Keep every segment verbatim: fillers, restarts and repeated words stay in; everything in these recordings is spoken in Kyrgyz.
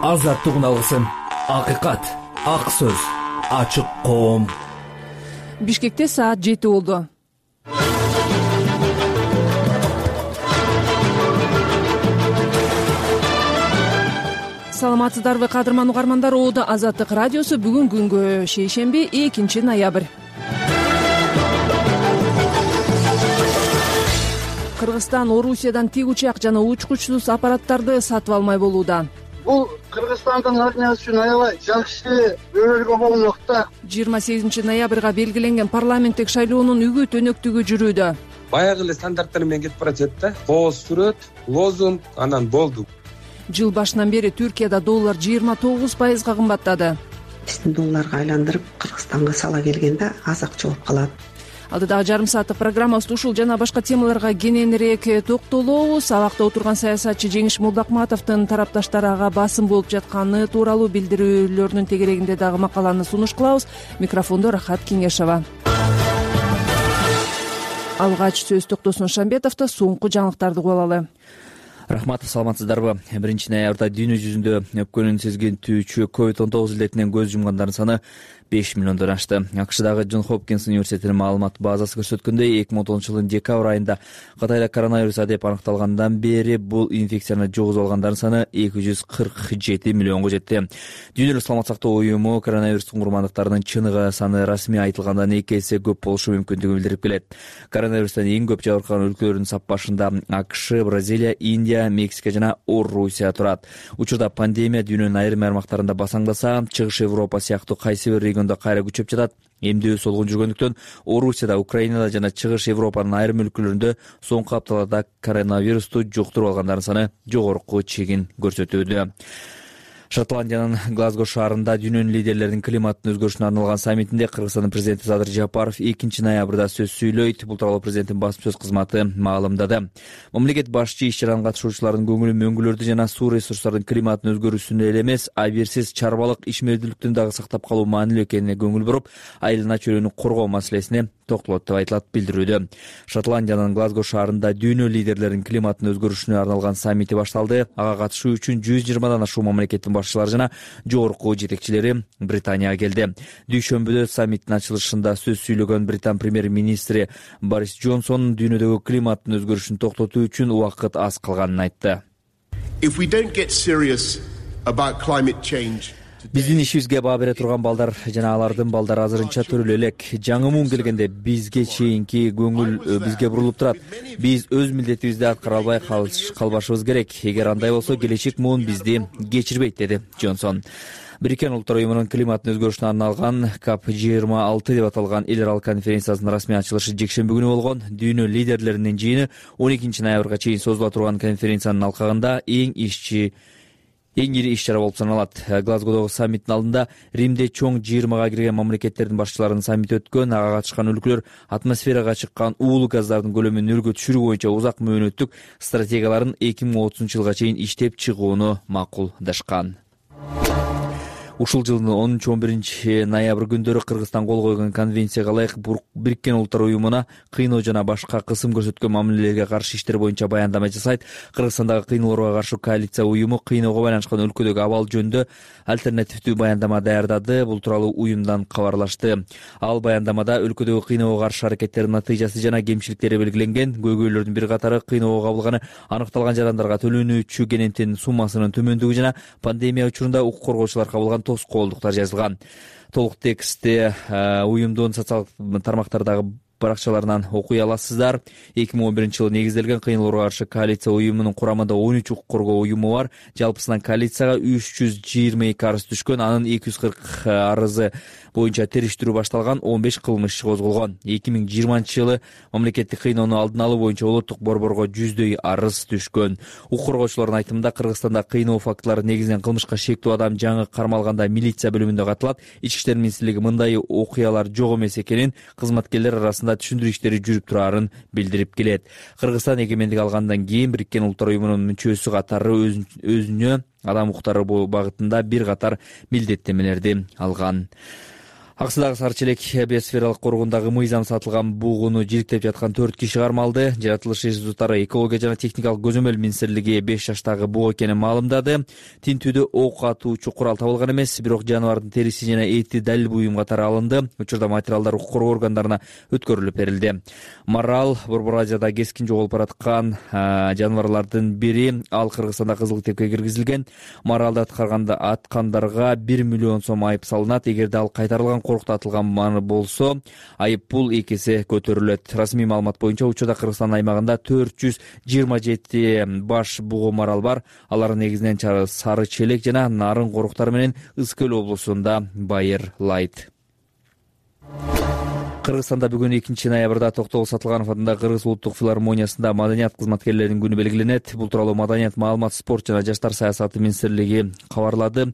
азаттыгын алгысың. Акыйкат, ак сөз, ачык коом. Бишкекте саат жети болду. Саламатсыздарбы кадырман угармандар, Оодо Азаттык радиосу бүгүн күнгө шейшемби экинчи ноябрь. Кыргызстан Орусиядан тик учак жана учкучсуз аппараттарды сатып алмай болууда. Бул Кыргызстандын армиясы үчүн аябай жакшы өбөлгө болмок да. жыйырма сегизинчи ноябрга белгиленген парламенттик шайлоонун үгүт өнөктүгү жүрүүдө. Баягы эле стандарттар менен кетип баратат да. Кооз сүрөт, лозунг, анан болду. Жыл башынан бери Түркияда доллар жыйырма тогуз пайызга кымбаттады. Биздин долларга айландырып Кыргызстанга сала келгенде аз акча болуп калат. Алдыдагы жарым сааттык программабызда ушул жана башка темаларга кененирээк токтолобуз. Абакта отурган саясатчы Жеңиш Молдокматовдун тарапташтары ага басым болуп жатканы тууралуу билдирүүлөрүнүн тегерегинде дагы макаланы сунуш кылабыз. Микрофондо Рахат Кеңешова. Алгач сөз Токтосун Шамбетовдо, соңку жаңылыктарды угуп алалы. Рахмат, саламатсыздарбы? биринчи ноябрда дүйнө жүзүндө өпкөнүн сезгентүүчү ковид он тогуз илетинен көз жумгандардын саны беш миллиондон ашты. АКШдагы Джон Хопкинс университетинин маалымат базасы көрсөткөндөй, эки миң он тогузунчу жылдын декабрь айында Кытайда коронавирус адеп аныкталгандан бери бул инфекцияны жугузуп алгандардын саны эки жүз кырк жети миллионго жетти. Дүйнөлүк саламат сактоо уюму коронавирустун курмандыктарынын чыныгы саны расмий айтылгандан эки эсе көп болушу мүмкүндүгүн билдирип келет. Коронавирустан эң көп жабыркаган өлкөлөрдүн саппашында АКШ, Бразилия, Индия, Мексика жана Орусия турат. Учурда пандемия дүйнөнүн айрым аймактарында басаңдаса, Чыгыш Европа сыяктуу кайсы бир региондо кайра күчөп жатат. Эмдөө солгун жүргөндүктөн Орусияда, Украинада жана Чыгыш Европанын айрым өлкөлөрүндө соңку апталарда коронавирусту жуктуруп алгандардын саны жогорку чегин көрсөтүүдө. Шотландиянын Глазго шаарында дүйнөнүн лидерлеринин климаттын өзгөрүшүнө арналган саммитинде Кыргызстандын президенти Садыр Жапаров экинчи ноябрда сөз сүйлөйт. Бул тууралуу президенттин басма сөз кызматы маалымдады. Мамлекет башчы иш-чаранын катышуучулардын көңүлүн мөңгүлөрдү жана суу ресурстарынын климаттын өзгөрүүсүнө эле эмес, абийирсиз чарбалык ишмердүүлүктүн дагы сактап калуу маанилүү экенине көңүл буруп, айылына чөйрөнү коргоо маселесине токтолот деп айтылат билдирүүдө. Шотландиянын Глазго шаарында дүйнө лидерлеринин климаттын өзгөрүшүнө арналган саммити башталды. Ага катышуу үчүн жүз жыйырмадан ашуун мамлекеттин башчылары жана жогорку жетекчилери Британияга келди. Дүйшөмбүдө саммиттин ачылышында сөз сүйлөгөн Британ премьер-министри Борис Джонсон дүйнөдөгү климаттын өзгөрүшүн токтотуу үчүн убакыт аз калганын айтты. Биздин ишибизге баа бере турган балдар жана алардын балдары азырынча төрөлө элек. Жаңы муун келгенде бизге чейинки көңүл бизге бурулуп турат. Биз өз милдетибизди аткара албай калбашыбыз керек. Эгер андай болсо, келечек муун бизди кечирбейт, деди Джонсон. Бириккен Улуттар уюмунун климаттын өзгөрүшүнө арналган КОП жыйырма алты деп аталган эл аралык конференциясынын расмий ачылышы жекшемби күнү болгон. Дүйнө лидерлеринин жыйыны он экинчи ноябрга чейин созула турган конференциянын алкагында эң ишчи Эң ири иш-чара болуп саналат. Глазгодогу саммиттин алдында Римде чоң жыйырмага кирген мамлекеттердин башчыларынын саммити өткөн. Ага катышкан өлкөлөр атмосферага чыккан уулуу газдардын көлөмүн нөлгө түшүрүү боюнча узак мөөнөттүк стратегияларын эки миң отузунчу жылга чейин иштеп чыгууну макулдашкан. Ушул жылдын онунчу он биринчи ноябрь күндөрү Кыргызстан кол койгон конвенцияга ылайык Бириккен Улуттар уюмуна кыйноо жана башка кысым көрсөткөн мамилелерге каршы иштер боюнча баяндама жасайт. Кыргызстандагы кыйноолорго каршы коалиция уюму кыйноого байланышкан өлкөдөгү абал жөнүндө альтернативдүү баяндама даярдады. Бул тууралуу уюмдан кабарлашты. Ал баяндамада өлкөдөгү кыйноого каршы аракеттердин натыйжасы жана кемчиликтери белгиленген. Көйгөйлөрдүн бир катары кыйноого кабылганы аныкталган жарандарга төлөнүүчү кененттин суммасынын төмөндүгү жана пандемия учурунда укук коргоочулар кабылган тоскоолдуктар жазылган. Толук текстти уюмдун социалдык тармактардагы баракчаларынан окуй аласыздар. эки миң он биринчи жылы негизделген кыйноолорго каршы коалиция уюмунун курамында он үч укук коргоо уюму бар. Жалпысынан коалицияга үч жүз жыйырма эки арыз түшкөн. Анын эки жүз кырк арызы боюнча териштирүү башталган, он беш кылмыш иши козголгон. эки миң жыйырманчы жылы мамлекеттик кыйноону алдын алуу боюнча улуттук борборго жүздөй арыз түшкөн. Укук коргоочулардын айтымында Кыргызстанда кыйноо фактылары негизинен кылмышка шектүү адам жаңы кармалганда милиция бөлүмүндө катылат. Ички иштер министрлиги мындай окуялар жок эмес экенин, кызматкерлер арасында түшүндүрүү иштери жүрүп турарын билдирип келет. Кыргызстан эгемендик алгандан кийин Бириккен Улуттар уюмунун мүчөсү катары өзүнө адам укуктары багытында бир катар милдеттенмелерди алган. Аксыдагы Сары Челек биосфералык коргондагы мыйзам сатылган бугуну жириктеп жаткан төрт киши кармалды. Жаратылыш институттары экология жана техникалык көзөмөл министрлиги беш жаштагы буг экенин маалымдады. Тинтүүдө ок атуучу курал табылган эмес, бирок жаныбардын териси жана эти далил буюм катары алынды. Учурда материалдар укук коргоо органдарына өткөрүлүп берилди. Марал Борбор Азияда кескин жоголуп бараткан жаныбарлардын бири. Ал Кыргызстанда кызыл китепке киргизилген. Маралды аткарганда аткандарга бир миллион сом айып салынат. Эгерде ал кайтарылган коркутатылган болсо, айып пул эки эсе көтөрүлөт. Расмий маалымат боюнча учурда Кыргызстан аймагында төрт жүз жыйырма жети баш бугу марал бар. Алар негизинен Сары Челек жана Нарын коруктары менен Ысык Көл облусунда байырлайт. Кыргызстанда бүгүн экинчи ноябрда Токтогул Сатылганов атындагы Кыргыз улуттук филармониясында маданият кызматкерлеринин күнү белгиленет. Бул тууралуу Маданият, маалымат, спорт жана жаштар саясаты министрлиги кабарлады.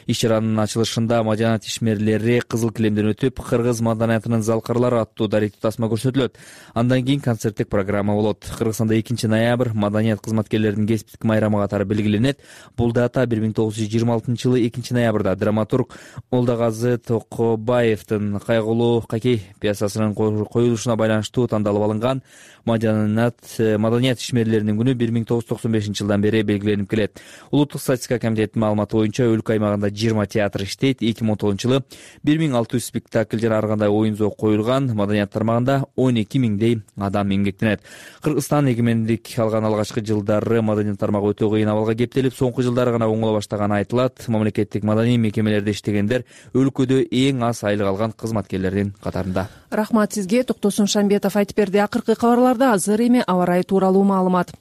Иш-чаранын ачылышында маданият ишмерлери кызыл килемден өтүп, Кыргыз маданиятынын залкарлары аттуу даректүү тасма көрсөтүлөт. Андан кийин концерттик программа болот. Кыргызстанда экинчи ноябрь маданият кызматкерлеринин кесиптик майрамы катары белгиленет. Бул дата бир миң тогуз жүз жыйырма алтынчы жылы экинчи ноябрда драматург Молдогазы Токобаевдин кайгылуу Какей пьесасынын коюлушуна байланыштуу тандалып алынган. Маданият маданият ишмерлеринин күнү бир миң тогуз жүз токсон бешинчи жылдан бери белгиленип келет. Улуттук статистика комитетинин маалыматы боюнча өлкө аймагында жыйырма театр иштейт. эки миң он тогузунчу жылы бир миң алты жүз спектакль жана ар кандай оюн зоок коюлган. Маданият тармагында он эки миңдей адам эмгектенет. Кыргызстан эгемендик алган алгачкы жылдары маданият тармагы өтө кыйын абалга кептелип, соңку жылдары гана оңоло баштаганы айтылат. Мамлекеттик маданий мекемелерде иштегендер өлкөдө эң аз айлык алган кызматкерлердин катарында. Рахмат сизге. Токтосун Шамбетов айтып берди. Акыркы кабарларда азыр эми аба ырайы тууралуу маалымат.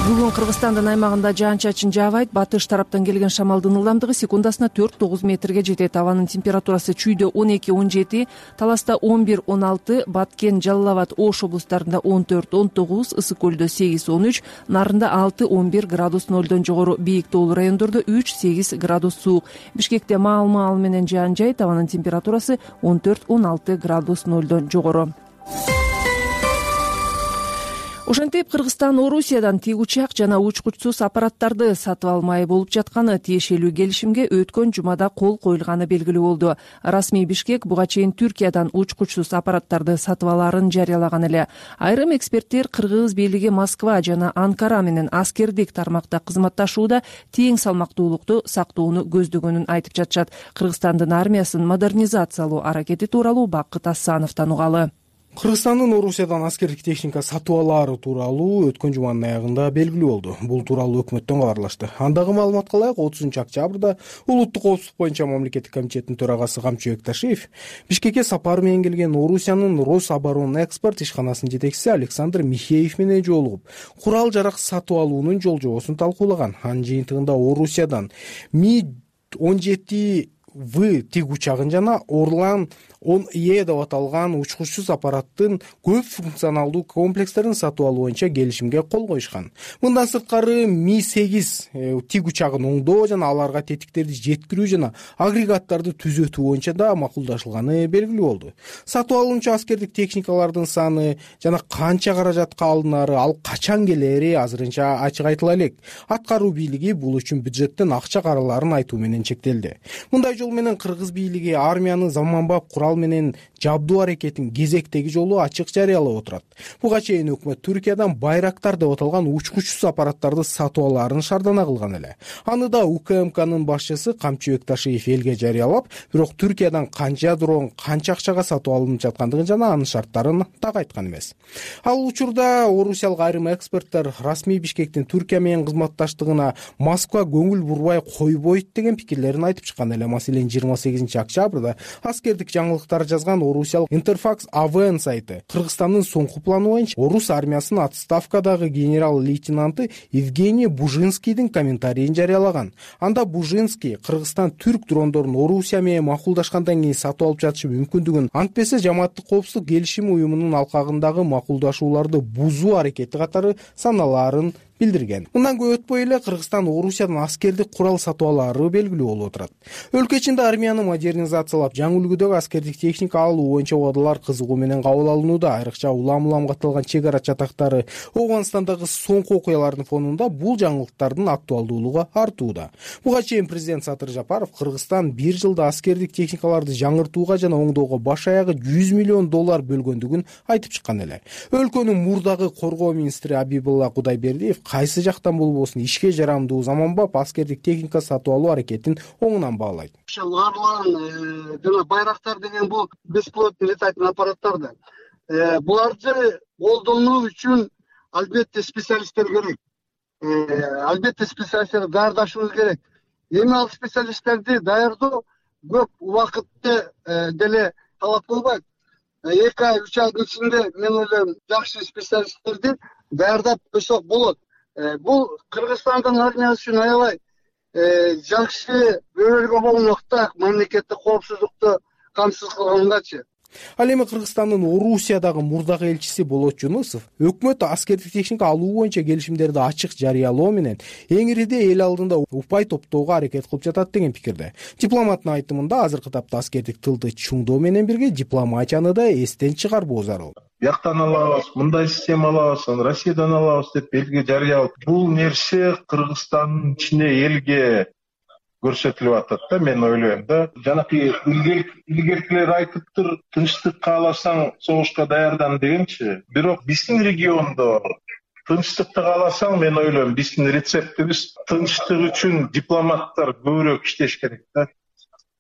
Бүгүн Кыргызстандын аймагында жаан-чачын жаабайт. Батыш тараптан келген шамалдын ылдамдыгы секундасына төрт тогуз метрге жетет. Абанын температурасы чүйдө он эки он жети, Таласта он бир он алты, Баткен, Жалал Абад, Ош облустарында он төрт он тогуз, Ысык Көлдө сегиз он үч, Нарында алты он бир градус нолдон жогору, бийик тоолуу райондордо үч сегиз градус суук. Бишкекте маал-маал менен жаан жайт. Абанын температурасы он төрт он алты градус нолдон жогору. Ошентип Кыргызстан Орусиядан тик учак жана учкучсуз аппараттарды сатып алмай болуп жатканы тиешелүү келишимге өткөн жумада кол коюлганы белгилүү болду. Расмий Бишкек буга чейин Түркиядан учкучсуз аппараттарды сатып алаарын жарыялаган эле. Айрым эксперттер Кыргыз бийлиги Москва жана Анкара менен аскердик тармакта кызматташууда тең салмактуулукту сактоону көздөгөнүн айтып жатышат. Кыргызстандын армиясын модернизациялоо аракети тууралуу Бакыт Асановдон угалы. Кыргызстандын Орусиядан аскердик техника сатып алаары тууралуу өткөн жуманын аягында белгилүү болду. Бул тууралуу өкмөттөн кабарлашты. Андагы маалыматка ылайык отузунчу октябрда улуттук коопсуздук боюнча мамлекеттик комитеттин төрагасы Камчы Бекташиев Бишкекке сапар менен келген Орусиянын Рособоронэкспорт ишканасынын жетекчиси Александр Михеев менен жолугуп, курал жарак сатып алуунун жол жобосун талкуулаган. Анын жыйынтыгында Орусиядан Ми он жети В тиг учагын жана Орлан он Е деп аталган учкучсуз аппараттын көп функционалдуу комплекстерин сатып алуу боюнча келишимге кол коюшкан. Мындан сырткары Ми сегиз тиг учагын оңдоо жана аларга тетиктерди жеткирүү жана агрегаттарды түзөтүү боюнча да макулдашылганы белгилүү болду. Сатып алуучу аскердик техникалардын саны жана канча каражатка алынары, ал качан келери азырынча ачык айтыла элек. Аткаруу бийлиги бул үчүн бюджеттен акча караларын айтуу менен чектелди. Мындай жол менен Кыргыз бийлиги армиянын заманбап курал менен жабдуу аракетин кезектеги жолу ачык жарыялап отурат. Буга чейин өкмөт Түркиядан Байрактар деп аталган учкучсуз аппараттарды сатып алаарын шаардана кылган эле. Аны да УКМКнын башчысы Камчы Бекташиев элге жарыялап, бирок Түркиядан канча дрон, канча акчага сатып алынып жаткандыгын жана анын шарттарын так айткан эмес. Ал учурда орусиялык айрым эксперттер расмий Бишкектин Түркия менен кызматташтыгына Москва көңүл бурбай койбойт деген пикирлерин айтып чыккан эле. Маселен жыйырма сегизинчи октябрда аскердик жаңылыктар жазган орусиялык Интерфакс АВН сайты Кыргызстандын соңку планы боюнча орус армиясынын отставкадагы генерал-лейтенанты Евгений Бужинскийдин комментарийин жарыялаган. Анда Бужинский Кыргызстан түрк дрондорун Орусия менен макулдашкандан кийин сатып алып жатышы мүмкүндүгүн, антпесе жамааттык коопсуздук келишими уюмунун алкагындагы макулдашууларды бузуу аракети катары саналаарын билдирген. Мындан көп өтпөй эле Кыргызстан Орусиядан аскердик курал сатып алаары белгилүү болуп отурат. Өлкө ичинде армияны модернизациялап, жаңы үлгүдөгү аскердик техника алуу боюнча убадалар кызыгуу менен кабыл алынууда. Айрыкча улам-улам катталган чек ара чатактары, Афганстандагы соңку окуялардын фонунда бул жаңылыктардын актуалдуулугу артууда. Буга чейин президент Садыр Жапаров Кыргызстан бир жылда аскердик техникаларды жаңыртууга жана оңдоого баш аягы жүз миллион доллар бөлгөндүгүн айтып чыккан эле. Өлкөнүн мурдагы коргоо министри Абибулла Кудайбердиев кайсы жактан болбосун ишке жарамдуу заманбап аскердик техника сатып алуу аракетин оңунан баалайт. Ушул жана байрактар деген бул бесплотный летательный аппараттарды буларды колдонуу үчүн албетте специалисттер керек. Албетте специалисттерди даярдашыбыз керек. Эми ал специалисттерди даярдоо көп убакытты деле талап кылбайт. эки ай үч айдын ичинде мен ойлойм жакшы специалисттерди даярдап койсок болот. Бул Кыргызстандын армиясы үчүн аябай жакшы бөлгө болмокта, мамлекеттик коопсуздукту камсыз кылгандачы. Ал эми Кыргызстандын Орусиядагы мурдагы элчиси Болот Жунусов өкмөт аскердик техника алуу боюнча келишимдерди ачык жарыялоо менен эң ириде эл алдында упай топтоого аракет кылып жатат деген пикирде. Дипломаттын айтымында азыркы тапта аскердик тылды чуңдоо менен бирге дипломатияны да эстен чыгарбоо зарыл. Бияктан алабыз, мындай система алабыз, Россиядан алабыз деп белги жарыялап, бул нерсе Кыргызстандын ичине элге көрсөтүлүп атат да, мен ойлойм да. Жанакы илгеркилер айтыптыр, тынчтык кааласаң согушка даярдан дегенчи. Бирок биздин региондо тынчтыкты кааласаң, мен ойлойм, биздин рецептибиз тынчтык үчүн дипломаттар көбүрөөк иштеш керек да.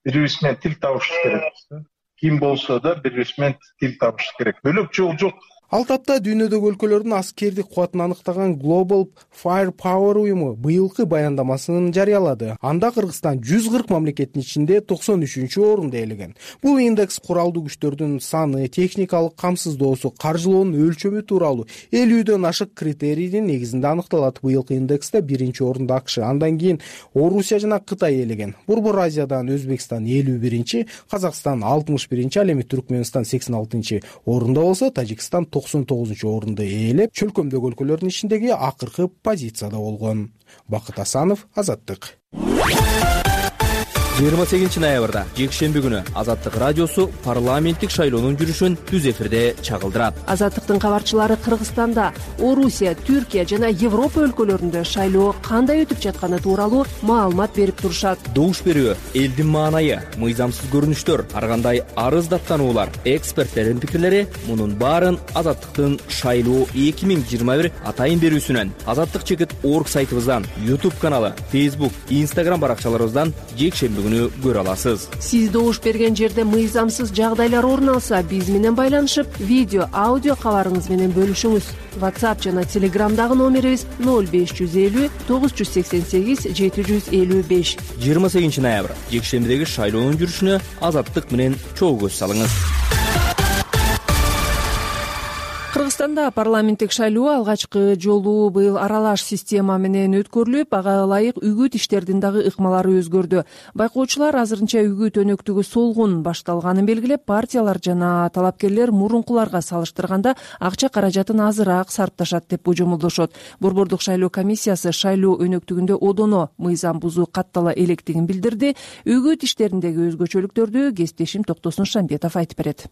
Бири-бириз менен тил табыш керек да. Ким болсо да бири-бириз менен тил табыш керек. Бөлөк жол жок. Ал тапта дүйнөдөгү өлкөлөрдүн аскердик кубатын аныктаган Global Firepower уюму быйылкы баяндамасын жарыялады. Анда Кыргызстан жүз кырк мамлекеттин ичинде токсон үчүнчү орунду ээлеген. Бул индекс куралдуу күчтөрдүн саны, техникалык камсыздоосу, каржылоонун өлчөмү тууралуу элүүдөн ашык критерийдин негизинде аныкталат. Быйылкы индексте биринчи орунду АКШ, андан кийин Орусия жана Кытай ээлеген. Борбор Азиядан Өзбекстан элүү биринчи, Казакстан алтымыш биринчи, ал эми Түркмөнстан сексен алтынчы орунда болсо, Тажикстан токсон тогузунчу орунду ээлеп, чөлкөмдөгү өлкөлөрдүн ичиндеги акыркы позицияда болгон. Бакыт Асанов, Азаттык. жыйырма сегизинчи ноябрда жекшемби күнү Азаттык радиосу парламенттик шайлоонун жүрүшүн түз эфирде чагылдырат. Азаттыктын кабарчылары Кыргызстанда, Орусия, Түркия жана Европа өлкөлөрүндө шайлоо кандай өтүп жатканы тууралуу маалымат берип турушат. Добуш берүү, элдин маанайы, мыйзамсыз көрүнүштөр, ар кандай арыз даттануулар, эксперттердин пикирлери — мунун баарын Азаттыктын шайлоо эки миң жыйырма бир атайын берүүсүнөн, Азаттык чекит орг сайтыбыздан, YouTube каналы, Facebook, Instagram баракчаларыбыздан жекшемби көрө аласыз. Сиз добуш берген жерде мыйзамсыз жагдайлар орун алса, биз менен байланышып, видео, аудио кабарыңыз менен бөлүшүңүз. WhatsApp жана Telegramдагы номерибиз ноль беш жүз элүү тогуз жүз сексен сегиз жети жүз элүү беш. жыйырма сегизинчи ноябрь жекшембидеги шайлоонун жүрүшүнө Азаттык менен чогуу көз салыңыз. Кыргызстанда парламенттик шайлоо алгачкы жолу быйыл аралаш система менен өткөрүлүп, ага ылайык үгүт иштердин дагы ыкмалары өзгөрдү. Байкоочулар азырынча үгүт өнөктүгү солгун башталганын белгилеп, партиялар жана талапкерлер мурункуларга салыштырганда акча каражатын азыраак сарпташат деп божомолдошот. Борбордук шайлоо комиссиясы шайлоо өнөктүгүндө одоно мыйзам бузуу каттала электигин билдирди. Үгүт иштериндеги өзгөчөлүктөрдү кесиптешим Токтосун Шамбетов айтып берет.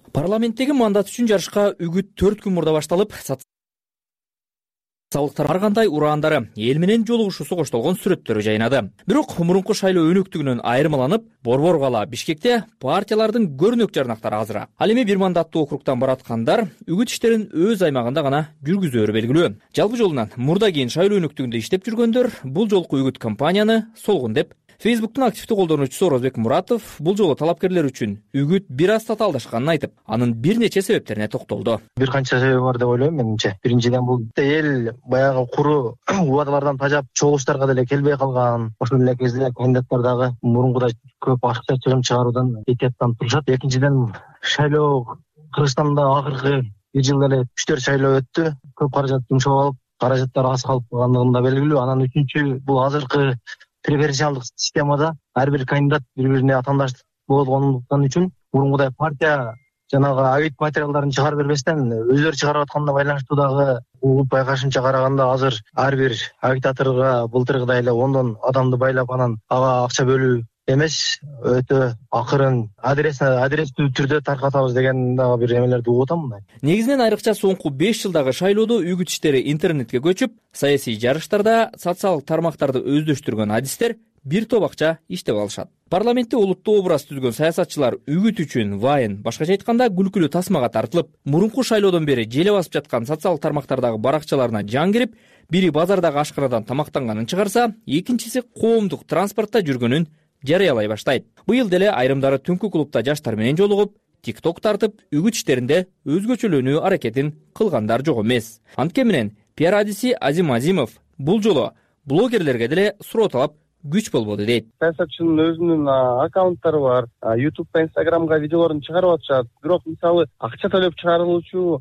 Парламенттеги мандат үчүн жарышка үгүт төрт күн мурда башталып, социалдыктар ар кандай ураандары, эл менен жолугушуусу коштолгон сүрөттөрү жайнады. Бирок мурунку шайлоо өнөктүгүнөн айырмаланып, Борбор кала Бишкекте партиялардын көрүнөк жарнактары азыраак. Ал эми бир мандаттуу округтан бараткандар үгүт иштерин өз аймагында гана жүргүзөөрү белгилүү. Жалпы жолунан мурда кийин шайлоо өнөктүгүндө иштеп жүргөндөр бул жолку үгүт кампанияны солгун деп Facebook'тун активдүү колдонуучусу Орозбек Муратов бул жолу талапкерлер үчүн үгүт бир аз татаалдашканын айтып, анын бир нече себептерине токтолду. Бир канча себеби бар деп ойлойм менимче. Биринчиден, бул эл баягы куру убадалардан тажап, чогулуштарга деле келбей калган. Ошол эле кезде кандидаттар дагы мурункудай көп акча чыгым чыгаруудан этияттанып турушат. Экинчиден, шайлоо Кыргызстанда акыркы бир жылда эле үч төрт шайлоо өттү. Көп каражат жумшап алып, каражаттар аз калып калгандыгы да белгилүү. Анан үчүнчү, бул азыркы преференциалдык системада ар бир кандидат бири-бирине атаандаш болгондуктан үчүн мурункудай партия жанагы агит материалдарын чыгарып бербестен өздөрү чыгарып атканына байланыштуу дагы угуп байкашымча караганда азыр ар бир агитаторго былтыркыдай эле ондон адамды байлап анан ага акча бөлүү эмес, өтө акырын адрес адрестүү түрдө таркатабыз деген дагы бир эмелерди угуп атам мындай. Негизинен айрыкча соңку беш жылдагы шайлоодо үгүт иштери интернетке көчүп, саясий жарыштарда социалдык тармактарды өздөштүргөн адистер бир топ акча иштеп алышат. Парламентте олуттуу образ түзгөн саясатчылар үгүт үчүн вайн, башкача айтканда күлкүлүү тасмага тартылып, мурунку шайлоодон бери желе басып жаткан социалдык тармактардагы баракчаларына жан кирип, бири базардагы ашканадан тамактанганын чыгарса, экинчиси коомдук транспортто жүргөнүн жарыялай баштайт. Быйыл деле айрымдары түнкү клубда жаштар менен жолугуп, тикток тартып, үгүт иштеринде өзгөчөлөнүү аракетин кылгандар жок эмес. Анткени менен пиар адиси Азим Азимов бул жолу блогерлерге деле суроо талап күч болбоду дейт. Саясатчынын өзүнүн аккаунттары бар, ютубта, инстаграмга видеолорун чыгарып атышат. Бирок мисалы акча төлөп чыгарылуучу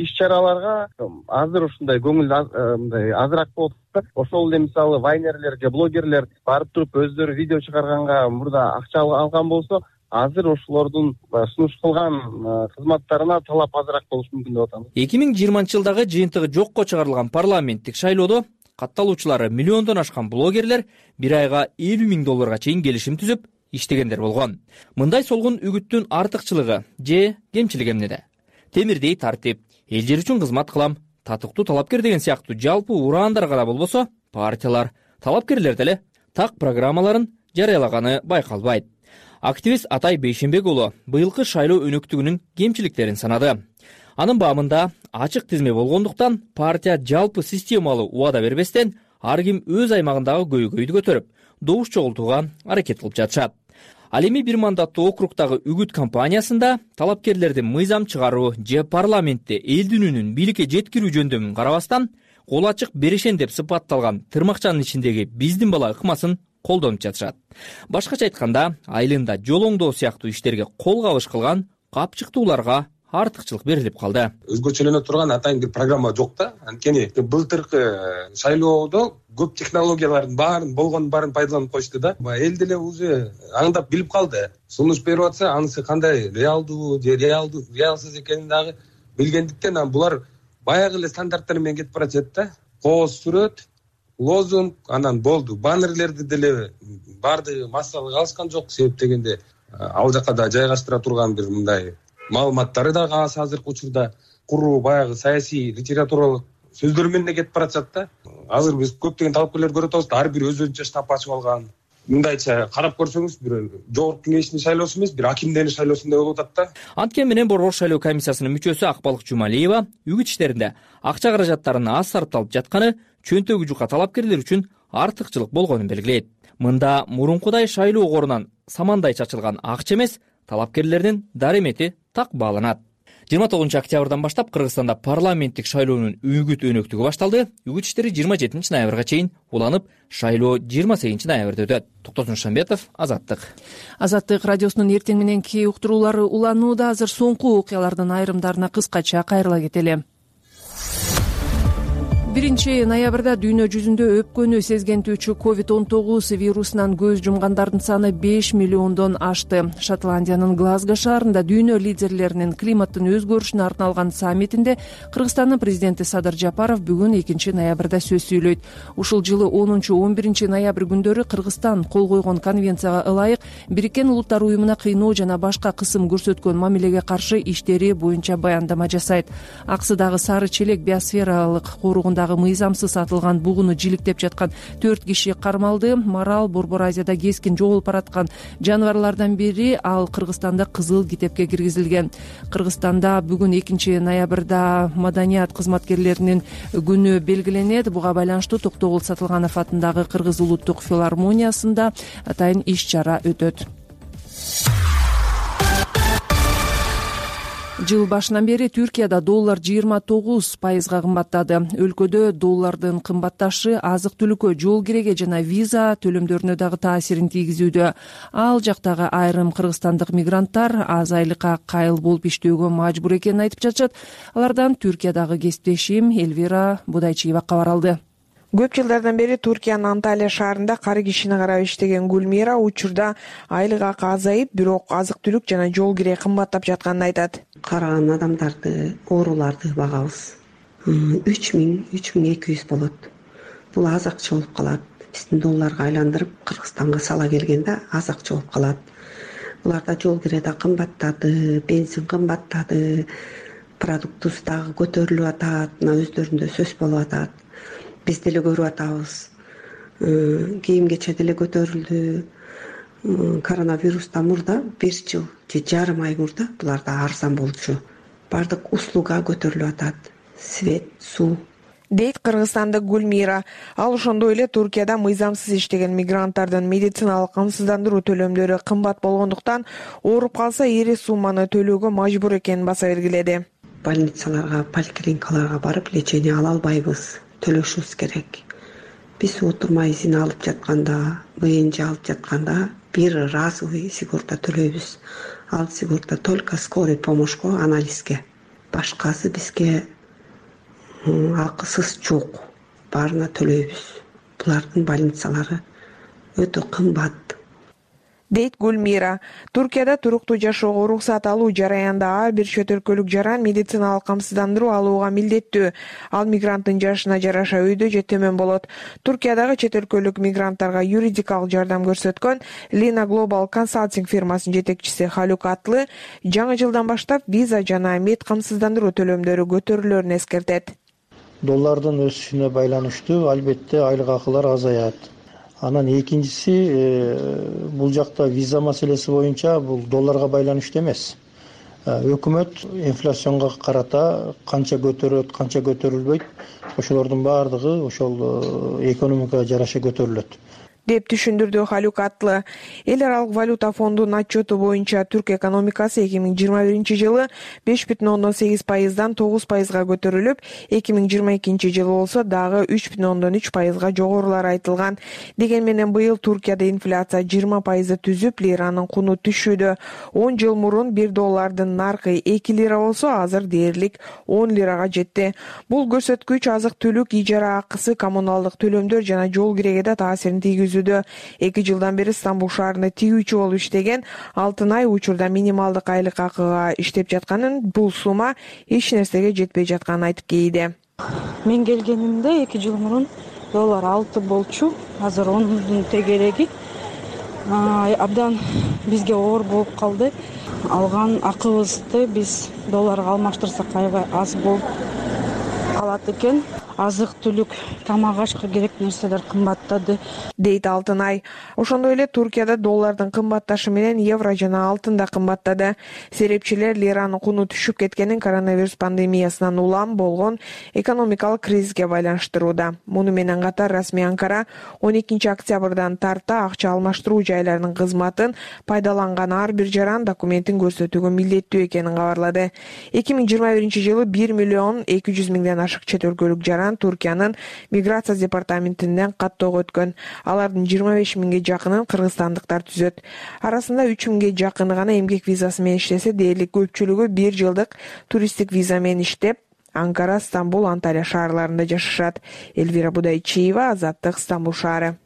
иш-чараларга азыр ушундай көңүл мындай азыраак болуп атат. Ошол эле мисалы вайнерлер же блогерлер барып туруп өздөрү видео чыгарганга мурда акча алган болсо, азыр ошолордун сунуш кылган кызматтарына талап азыраак болушу мүмкүн деп атам. эки миң жыйырманчы жылдагы жыйынтыгы жокко чыгарылган парламенттик шайлоодо катталуучулары миллиондон ашкан блогерлер бир айга элүү миң долларга чейин келишим түзүп иштегендер болгон. Мындай солгун үгүттүн артыкчылыгы же кемчилиги эмнеде? Темирдей тартип, эл жер үчүн кызмат кылам, татыктуу талапкер деген сыяктуу жалпы ураандар гана болбосо, партиялар, талапкерлер деле так программаларын жарыялаганы байкалбайт. Активист Атай Бейшенбек уулу быйылкы шайлоо өнөктүгүнүн кемчиликтерин санады. Анын баамында ачык тизме болгондуктан партия жалпы системалуу убада бербестен ар ким өз аймагындагы көйгөйдү көтөрүп, добуш чогултууга аракет кылып жатышат. Ал эми бир мандаттуу округдагы үгүт кампаниясында талапкерлерди мыйзам чыгаруу же парламентте элдин үнүн бийликке жеткирүү жөндөмүн карабастан, кол ачык берешен деп сыпатталган тырмакчанын ичиндеги биздин бала ыкмасын колдонуп жатышат. Башкача айтканда, айылында жол оңдоо сыяктуу иштерге кол кабыш кылган капчыктууларга артыкчылык берилип калды. Өзгөчөлөнө турган атайын бир программа жок да. Анткени былтыркы шайлоодо көп технологиялардын баарын болгонун баарын пайдаланып коюшту да. Эл деле уже аңдап билип калды. Сунуш берип атса, анысы кандай реалдуу же реалдуу, реалсыз экенин дагы билгендиктен булар баягы эле стандарттар менен кетип баратат да. Кооз сүрөт, лозунг, анан болду. Баннерлерди деле баардыгы массалык алышкан жок, себеп дегенде ал жака да жайгаштыра турган бир мындай маалыматтары дагы аз азыркы учурда куруу баягы саясий литературалык сөздөр менен кетип баратат да. Азыр биз көптөгөн талапкерлер көрүп атабыз, ар бир өз-өзүнчө штаб ачып алган. Мындайча карап көрсөңүз, бир жогорку кеңештин шайлоосу эмес, бир акимдердин шайлоосундай болуп атат да. Анткени менен Борбор шайлоо комиссиясынын мүчөсү Акбалык Жумалиева үгүт иштеринде акча каражаттарынын аз сарпталып жатканы чөнтөгү жука талапкерлер үчүн артыкчылык болгонун белгилейт. Мында мурункудай шайлоо корунан самандай чачылган акча эмес, талапкерлердин даремети так бааланат. жыйырма тогузунчу октябрдан баштап Кыргызстанда парламенттик шайлоонун үгүт өнөктүгү башталды. Үгүт иштери жыйырма жетинчи ноябрга чейин уланып, шайлоо жыйырма сегизинчи ноябрда өтөт. Токтосун Шамбетов, Азаттык. Азаттык радиосунун эртең мененки уктуруулары уланууда. Азыр соңку окуялардын айрымдарына кыскача кайрыла кетели. биринчи ноябрда дүйнө жүзүндө өпкөнү сезгентүүчү ковид он тогуз вирусунан көз жумгандардын саны беш миллиондон ашты. Шотландиянын Глазго шаарында дүйнө лидерлеринин климаттын өзгөрүшүнө арналган саммитинде Кыргызстандын президенти Садыр Жапаров бүгүн экинчи ноябрда сөз сүйлөйт. Ушул жылы онунчу он биринчи ноябрь күндөрү Кыргызстан кол койгон конвенцияга ылайык Бириккен Улуттар уюмуна кыйноо жана башка кысым көрсөткөн мамилеге каршы иштери боюнча баяндама жасайт. Аксыдагы Сары Челек биосфералык коругунда мыйзамсыз атылган бугуну жиликтеп жаткан төрт киши кармалды. Марал Борбор Азияда кескин жоголуп бараткан жаныбарлардан бири, ал Кыргызстанда кызыл китепке киргизилген. Кыргызстанда бүгүн экинчи ноябрда маданият кызматкерлеринин күнү белгиленет. Буга байланыштуу Токтогул Сатылганов атындагы Кыргыз улуттук филармониясында атайын иш-чара өтөт. Жыл башынан бери Түркияда доллар жыйырма тогуз пайызга кымбаттады. Өлкөдө доллардын кымбатташы азык-түлүккө, жол киреге жана виза төлөмдөрүнө дагы таасирин тийгизүүдө. Ал жактагы айрым кыргызстандык мигранттар аз айлыкка кайыл болуп иштөөгө мажбур экенин айтып жатышат. Алардан Түркиядагы кесиптешим Элвира Будайчиева кабар алды. Көп жылдардан бери Туркиянын Анталия шаарында кары кишини карап иштеген Гүлмира учурда айлык акы азайып, бирок азык-түлүк жана жол кире кымбаттап жатканын айтат. Караган адамдарды, ооруларды багабыз. үч миң, үч миң эки жүз болот. Бул аз акча болуп калат. Биздин долларга айландырып Кыргызстанга сала келгенде аз акча болуп калат. Буларда жол кире да кымбаттады, бензин кымбаттады, продуктубуз дагы көтөрүлүп атат, мына өздөрүндө сөз болуп атат. Биз деле көрүп атабыз. Кийим кече деле көтөрүлдү. Коронавирустан мурда бир жыл же жарым ай мурда буларда арзан болчу. Бардык услуга көтөрүлүп атат. Свет, суу. Дейт кыргызстандык Гүлмира. Ал ошондой эле Туркияда мыйзамсыз иштеген мигранттардын медициналык камсыздандыруу төлөмдөрү кымбат болгондуктан ооруп калса ири сумманы төлөөгө мажбур экенин баса белгиледи. Больницаларга, поликлиникаларга барып лечение ала албайбыз. Төлөшүбүз керек. Биз отурмай изин алып жатканда, ВНЖ алып жатканда бир разовый сигорта төлөйбүз. Ал сигорта только скорый помощько, анализге. Башкасы бизге акысыз жок. Баарына төлөйбүз. Булардын больницалары өтө кымбат. Дейт Гүлмира. Туркияда туруктуу жашоого уруксат алуу жараянда ар бир чет өлкөлүк жаран медициналык камсыздандыруу алууга милдеттүү. Ал мигранттын жашына жараша өйдө же төмөн болот. Туркиядагы чет өлкөлүк мигранттарга юридикалык жардам көрсөткөн Lina Global консалтинг фирмасынын жетекчиси Халюк Атлы жаңы жылдан баштап виза жана мед камсыздандыруу төлөмдөрү көтөрүлөрүн эскертет. Доллардын өсүшүнө байланыштуу албетте айлык акылар азаят. Анан экинчиси, бул жакта виза маселеси боюнча бул долларга байланыштуу эмес. Өкмөт инфляционго карата канча көтөрөт, канча көтөрүлбөйт, ошолордун баардыгы ошол экономикага жараша көтөрүлөт деп түшүндүрдү Халюк Атлы. Эл аралык валюта фондунун отчету боюнча Түрк экономикасы эки миң жыйырма биринчи жылы беш бүтүн ондон сегиз пайыздан тогуз пайызга көтөрүлүп, эки миң жыйырма экинчи жылы болсо дагы үч бүтүн ондон үч пайызга жогорулары айтылган. Деген менен быйыл Туркияда инфляция жыйырма пайызды түзүп, лиранын куну түшүүдө. он жыл мурун бир доллардын наркы эки лира болсо, азыр дээрлик он лирага жетти. Бул көрсөткүч азык-түлүк, ижара акысы, коммуналдык төлөмдөр жана жол киреге да таасирин тийгизүүдө. Эки жылдан бери Стамбул шаарында тигүүчү болуп иштеген Алтынай учурда минималдык айлык акыга иштеп жатканын, бул сумма эч нерсеге жетпей жатканын айтып кейди. Мен келгенимде эки жыл мурун доллар алты болчу, азыр ондун тегереги. Абдан бизге оор болуп калды. Алган акыбызды биз долларга алмаштырсак аябай аз болуп калат экен. Азык-түлүк, тамак-ашка керек нерселер кымбаттады, дейт Алтынай. Ошондой эле Туркияда доллардын кымбатташы менен евро жана алтын да кымбаттады. Серепчилер лиранын куну түшүп кеткенин коронавирус пандемиясынан улам болгон экономикалык кризиске байланыштырууда. Муну менен катар расмий Анкара он экинчи октябрдан тарта акча алмаштыруу жайларынын кызматын пайдаланган ар бир жаран документин көрсөтүүгө милдеттүү экенин кабарлады. эки миң жыйырма биринчи жылы бир миллион эки жүз миңден ашык чет өлкөлүк жаран Туркиянын миграция департаментинен каттоого өткөн. Алардын жыйырма беш миңге жакынын кыргызстандыктар түзөт. Арасында үч миңге жакыны гана эмгек визасы менен иштесе, дээрлик көпчүлүгү бир жылдык туристтик виза менен иштеп, Анкара, Стамбул, Анталия шаарларында жашашат. Элвира Будайчиева, Азаттык, Стамбул шаары.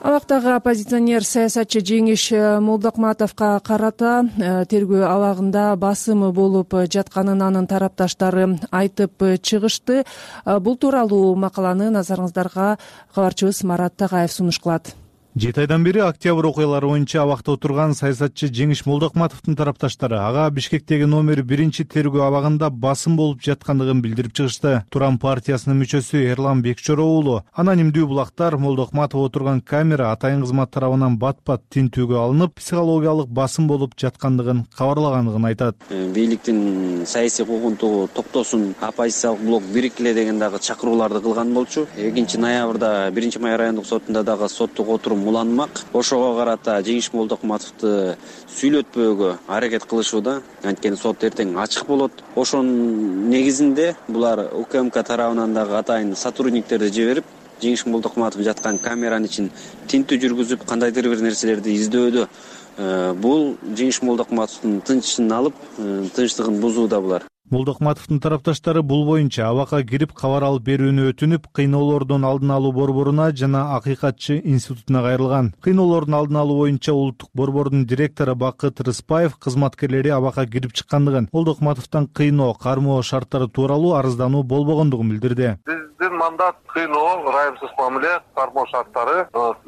Абактагы оппозиционер саясатчы Жеңиш Молдокматовго карата тергөө абагында басымы болуп жатканын анын тарапташтары айтып чыгышты. Бул тууралуу макаланы назарыңыздарга кабарчыбыз Марат Тагаев сунуш кылат. Жети айдан бери октябрь окуялары боюнча абакта отурган саясатчы Жеңиш Молдокматовдун тарапташтары ага Бишкектеги номер биринчи тергөө абагында басым болуп жаткандыгын билдирип чыгышты. Туран партиясынын мүчөсү Эрлан Бекчоро уулу анонимдүү булактар Молдокматов отурган камера атайын кызмат тарабынан бат-бат тинтүүгө алынып, психологиялык басым болуп жаткандыгын кабарлагандыгын айтат. Бийликтин саясий куугунтугу токтосун, оппозициялык блок бириккиле деген дагы чакырууларды кылган болчу. экинчи ноябрда биринчи май райондук сотунда дагы соттук отурум уланмак. Ошого карата Жеңиш Молдокматовду сүйлөтпөөгө аракет кылышууда. Анткени сот эртең ачык болот. Ошонун негизинде булар УКМК тарабынан дагы атайын сотрудниктерди жиберип, Жеңиш Молдокматов жаткан камеранын ичин тинтүү жүргүзүп, кандайдыр бир нерселерди издөөдө бул Жеңиш Молдокматовдун тынчын алып, тынчтыгын бузууда булар. Молдокматовдун тарапташтары бул боюнча абакка кирип кабар алып берүүнү өтүнүп, кыйноолордун алдын алуу борборуна жана Акыйкатчы институтуна кайрылган. Кыйноолордун алдын алуу боюнча улуттук борбордун директору Бакыт Рыспаев кызматкерлери абакка кирип чыккандыгын, Молдокматовдон кыйноо, кармоо шарттары тууралуу арыздануу болбогондугун билдирди. Биздин мандат кыйноо, ырайымсыз мамиле, кармоо шарттары.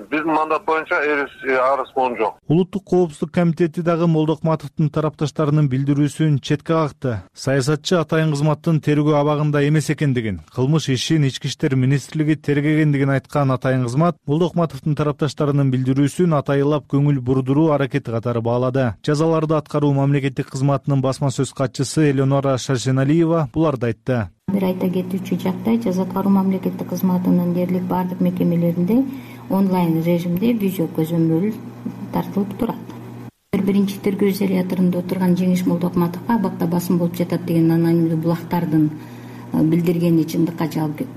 Биздин мандат боюнча арыз болгон жок. Улуттук коопсуздук комитети дагы Молдокматовдун тарапташтарынын билдирүүсүн четке какты. Саясатчы атайын кызматтын тергөө абагында эмес экендигин, кылмыш ишин Ички иштер министрлиги тергегендигин айткан атайын кызмат Молдокматовдун тарапташтарынын билдирүүсүн атайылап көңүл бурдуруу аракети катары баалады. Жазаларды аткаруу мамлекеттик кызматынын басма сөз катчысы Элеонора Шарсеналиева буларды айтты. Бир айта кетүүчү жактай, жаза аткаруу мамлекеттик кызматынын дээрлик бардык мекемелеринде онлайн режимде видео көзөмөл тартылып турат. Биринчи тергөө изоляторунда отурган Жеңиш Молдокматовго абакта басым болуп жатат деген анонимдүү булактардын билдиргени чындыкка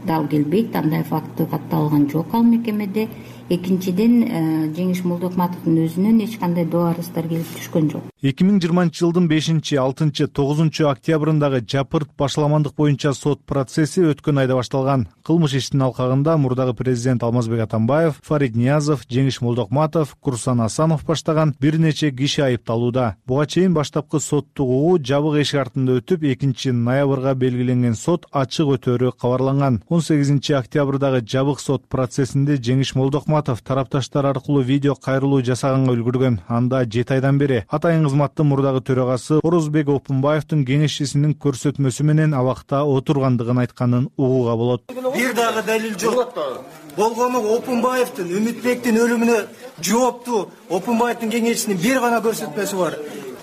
дал келбейт. Андай факты катталган жок ал мекемеде. Экинчиден, Жеңиш Молдокматовдун өзүнөн эч кандай доо арыздар келип түшкөн жок. эки миң жыйырманчы жылдын бешинчи, алтынчы, тогузунчу октябрындагы жапырт башаламандык боюнча сот процесси өткөн айда башталган. Кылмыш иштин алкагында мурдагы президент Алмазбек Атамбаев, Фарид Ниязов, Жеңиш Молдокматов, Курсан Асанов баштаган бир нече киши айыпталууда. Буга чейин баштапкы соттук угуу жабык эшик артында өтүп, экинчи ноябрга белгиленген сот ачык өтөөрү кабарланган. он сегизинчи октябрдагы жабык сот процессинде Жеңиш Молдокматов тарапташтар аркылуу видео кайрылуу жасаганга үлгүргөн. Анда жети айдан бери атайын кызматтын мурдагы төрагасы Орозбек Опунбаевдин кеңешчисинин көрсөтмөсү менен абакта отургандыгын айтканын угууга болот. Бир дагы далил жок. Болгону Опунбаевдин, Үмүтбектин өлүмүнө жооптуу Опунбаевдин кеңешчисинин бир гана көрсөтмөсү бар.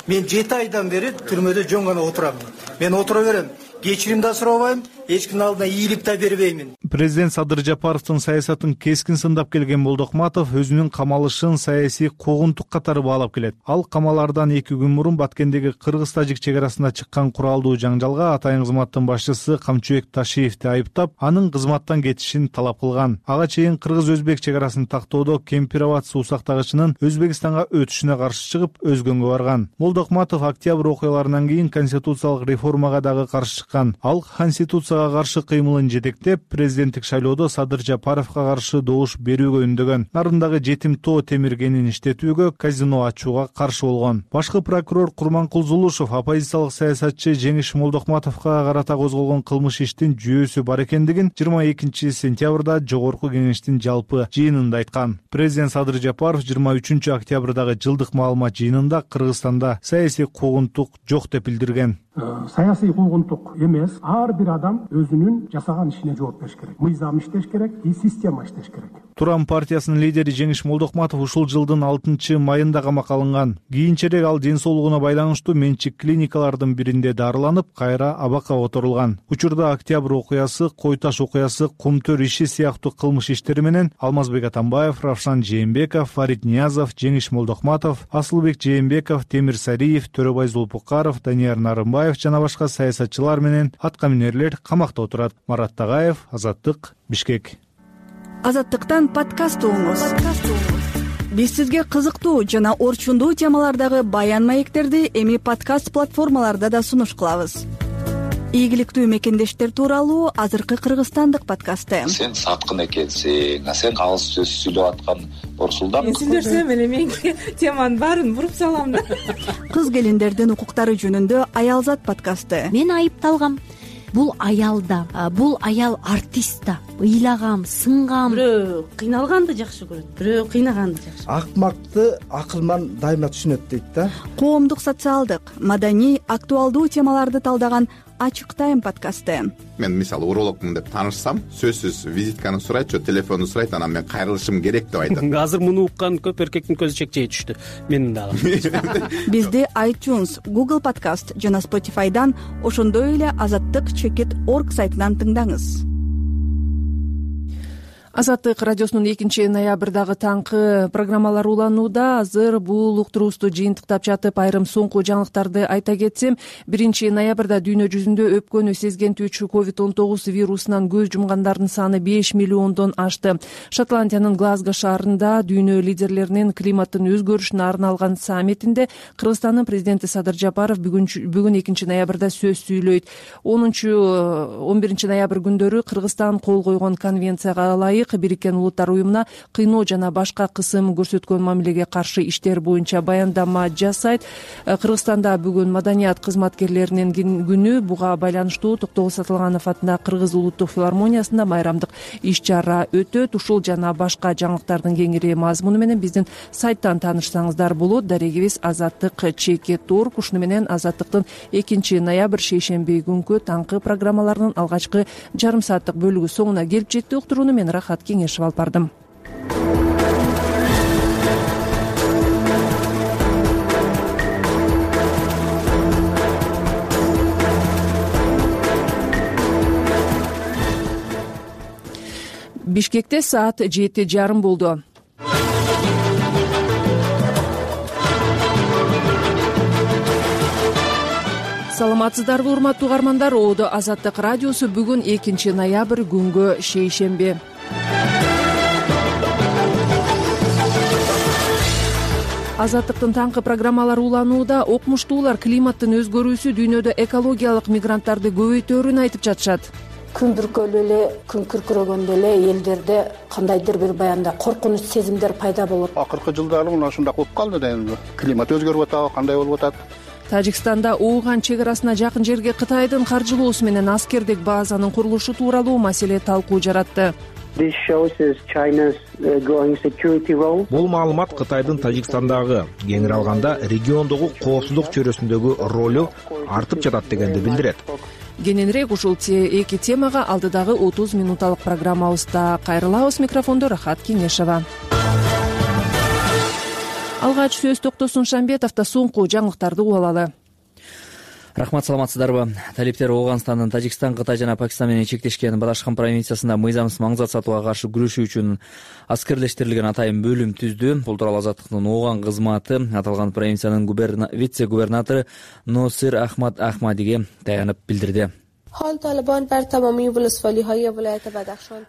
Мен жети айдан бери түрмөдө жөн гана отурам. Мен отура берем. Кечирим да сурабайм, эч кимдин алдына ийилип да бербеймин. Президент Садыр Жапаровдун саясатын кескин сындап келген Молдокматов өзүнүн камалышын саясий куугунтук катары баалап келет. Ал камалардан эки күн мурун Баткендеги кыргыз-тажик чек арасында чыккан куралдуу жаңжалга атайын кызматтын башчысы Камчыбек Ташиевди айыптап, анын кызматтан кетишин талап кылган. Ага чейин кыргыз-өзбек чек арасын тактоодо Кемпироват суу сактагычынын Өзбекстанга өтүшүнө каршы чыгып, өзгөнгө барган. Молдокматов октябрь окуяларынан кийин конституциялык реформага дагы каршы чыккан. Ал конституцияга каршы кыймылын жетектеп, президенттик шайлоодо Садыр Жапаровго каршы добуш берүүгө үндөгөн. Нарындагы жетим тоо темиргенин иштетүүгө, казино ачууга каршы болгон. Башкы прокурор Курманкул Зулушев оппозициялык саясатчы Жеңиш Молдокматовго карата козголгон кылмыш иштин жүйөсү бар экендигин жыйырма экинчи сентябрда Жогорку кеңештин жалпы жыйынында айткан. Президент Садыр Жапаров жыйырма үчүнчү октябрдагы жылдык маалымат жыйынында Кыргызстанда саясий куугунтук жок деп билдирген. Саясий куугунтук эмес, ар бир адам өзүнүн жасаган ишине жооп бериш керек. Мыйзам иштеш керек, и система иштеш керек. Турам партиясынын лидери Жеңиш Молдокматов ушул жылдын алтынчы майында камакка алынган. Кийинчерээк ал ден соолугуна байланыштуу менчик клиникалардын биринде дарыланып, кайра абакка отурулган. Учурда октябрь окуясы, Кой таш окуясы, Кумтөр иши сыяктуу кылмыш иштери менен Алмазбек Атамбаев, Равшан Жээнбеков, Фарид Ниязов, Жеңиш Молдокматов, Асылбек Жээнбеков, Темир Сариев, Төрөбай Зулпукаров, Данияр Нарымбаев жана башка саясатчылар менен аткаминерлер камакта отурат. Марат Тагаев, Азаттык, Бишкек. Азаттыктан подкаст угуңуз. Биз сизге кызыктуу жана орчундуу темалардагы баян маектерди эми подкаст платформаларда да сунуш кылабыз. Ийгиликтүү мекендештер тууралуу азыркы кыргызстандык подкасты. Сен саткын экенсиң, сен алыс сөз сүйлөп аткан Орсулдан. Мен сүйлөсөм эле менин теманын баарын буруп салам да. Кыз келиндердин укуктары жөнүндө Аялзат подкасты. Мен айыпталгам. Бул аял да, бул аял артист да. Ыйлагам, сынгам. Бирөө кыйналганды жакшы көрөт, бирөө кыйнаганды жакшы. Акмакты акылман дайыма түшүнөт дейт да. Коомдук, социалдык, маданий, актуалдуу темаларды талдаган Ачык тайм подкасты. Мен мисалы урологмун деп таанышсам, сөзсүз визитканы сурайт, же телефонду сурайт, анан мен кайрылышым керек деп айтат. Азыр муну уккан көп эркектин көзү чекчей түштү. Менин дагы. Бизди iTunes, Google Podcast жана Spotify'дан, ошондой эле азаттык чекит точка орг сайтынан тыңдаңыз. Азаттык радиосунун экинчи ноябрдагы таңкы программалары уланууда. Азыр бул уктуруубузду жыйынтыктап жатып, айрым соңку жаңылыктарды айта кетсем, биринчи ноябрда дүйнө жүзүндө өпкөнү сезгентүүчү ковид он тогуз вирусунан көз жумгандардын саны беш миллиондон ашты. Шотландиянын Глазго шаарында дүйнө лидерлеринин климаттын өзгөрүшүнө арналган саммитинде Кыргызстандын президенти Садыр Жапаров бүгүн экинчи ноябрда сөз сүйлөйт. онунчу он биринчи ноябрь күндөрү Кыргызстан кол койгон конвенцияга ылайык Бириккен Улуттар уюмуна кыйноо жана башка кысым көрсөткөн мамилеге каршы иштер боюнча баяндама жасайт. Кыргызстанда бүгүн маданият кызматкерлеринин күнү. Буга байланыштуу Токтогул Сатылганов атындагы Кыргыз улуттук филармониясында майрамдык иш чара өтөт. Ушул жана башка жаңылыктардын кеңири мазмуну менен биздин сайттан таанышсаңыздар болот. Дарегибиз азаттык чекит орг. Ушуну менен Азаттыктын экинчи ноябрь шейшемби күнкү таңкы программаларынын алгачкы жарым сааттык бөлүгү соңуна келип жетти. Уктурууну мен Рахат Кеңешев алып бардым. Бишкекте саат жети жарым болду. Саламатсыздарбы, урматтуу угармандар? Оодо Азаттык радиосу бүгүн экинчи ноябрь күнгө шейшемби. Азаттыктын таңкы программалары уланууда. Окумуштуулар климаттын өзгөрүүсү дүйнөдө экологиялык мигранттарды көбөйтөөрүн айтып жатышат. Күн бүркөлү эле, күн күркүрөгөндө эле элдерде кандайдыр бир баягындай коркунуч сезимдер пайда болот. Акыркы жылдары мына ушундай болуп калды да эми. Климат өзгөрүп атабы, кандай болуп атат? Тажикстанда Ооган чек арасына жакын жерге Кытайдын каржылоосу менен аскердик базанын курулушу тууралуу маселе талкуу жаратты. Бул маалымат Кытайдын Тажикстандагы, кеңири алганда региондогу коопсуздук чөйрөсүндөгү ролу артып жатат дегенди билдирет. Кененирээк ушул эки темага алдыдагы отуз минуталык программабызда кайрылабыз. Микрофондо Рахат Кеңешева. Алгач сөз Токтосун Шамбетовдо соңку жаңылыктарды угулалы. Рахмат, саламатсыздарбы? Талиптер Ооганстандын Тажикстан, Кытай жана Пакистан менен чектешкен Бадашхан провинциясында мыйзамсыз маңзат сатууга каршы күрөшүү үчүн аскерлештирилген атайын бөлүм түздү. Бул тууралуу Азаттыктын Ооган кызматы аталган провинциянын вице-губернатору Носир Ахмад Ахмадиге таянып билдирди.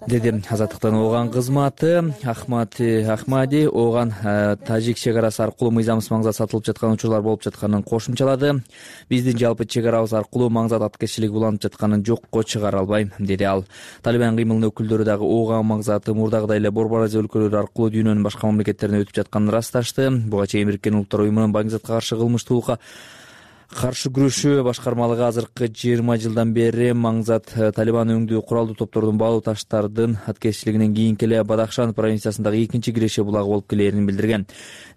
Деди Азаттыктын Ооган кызматы. Ахмад Ахмади Ооган Тажик чек арасы аркылуу мыйзамсыз маңзат сатылып жаткан учурлар болуп жатканын кошумчалады. Биздин жалпы чек арабыз аркылуу маңзат аткечилиги уланып жатканын жокко чыгара албайм, деди ал. Талибан кыймылынын өкүлдөрү дагы Ооган маңзаты мурдагыдай эле Борбор Азия өлкөлөрү аркылуу дүйнөнүн башка мамлекеттерине өтүп жатканын ырасташты. Буга чейин Бириккен Улуттар уюмунун маңзатка каршы кылмыштуулукка каршы күрөшүү башкармалыгы азыркы жыйырма жылдан бери маңзат Талибан өңдүү куралдуу топтордун баалуу таштардын аткечилигинен кийинки эле Бадахшан провинциясындагы экинчи киреше булагы болуп келээрин билдирген.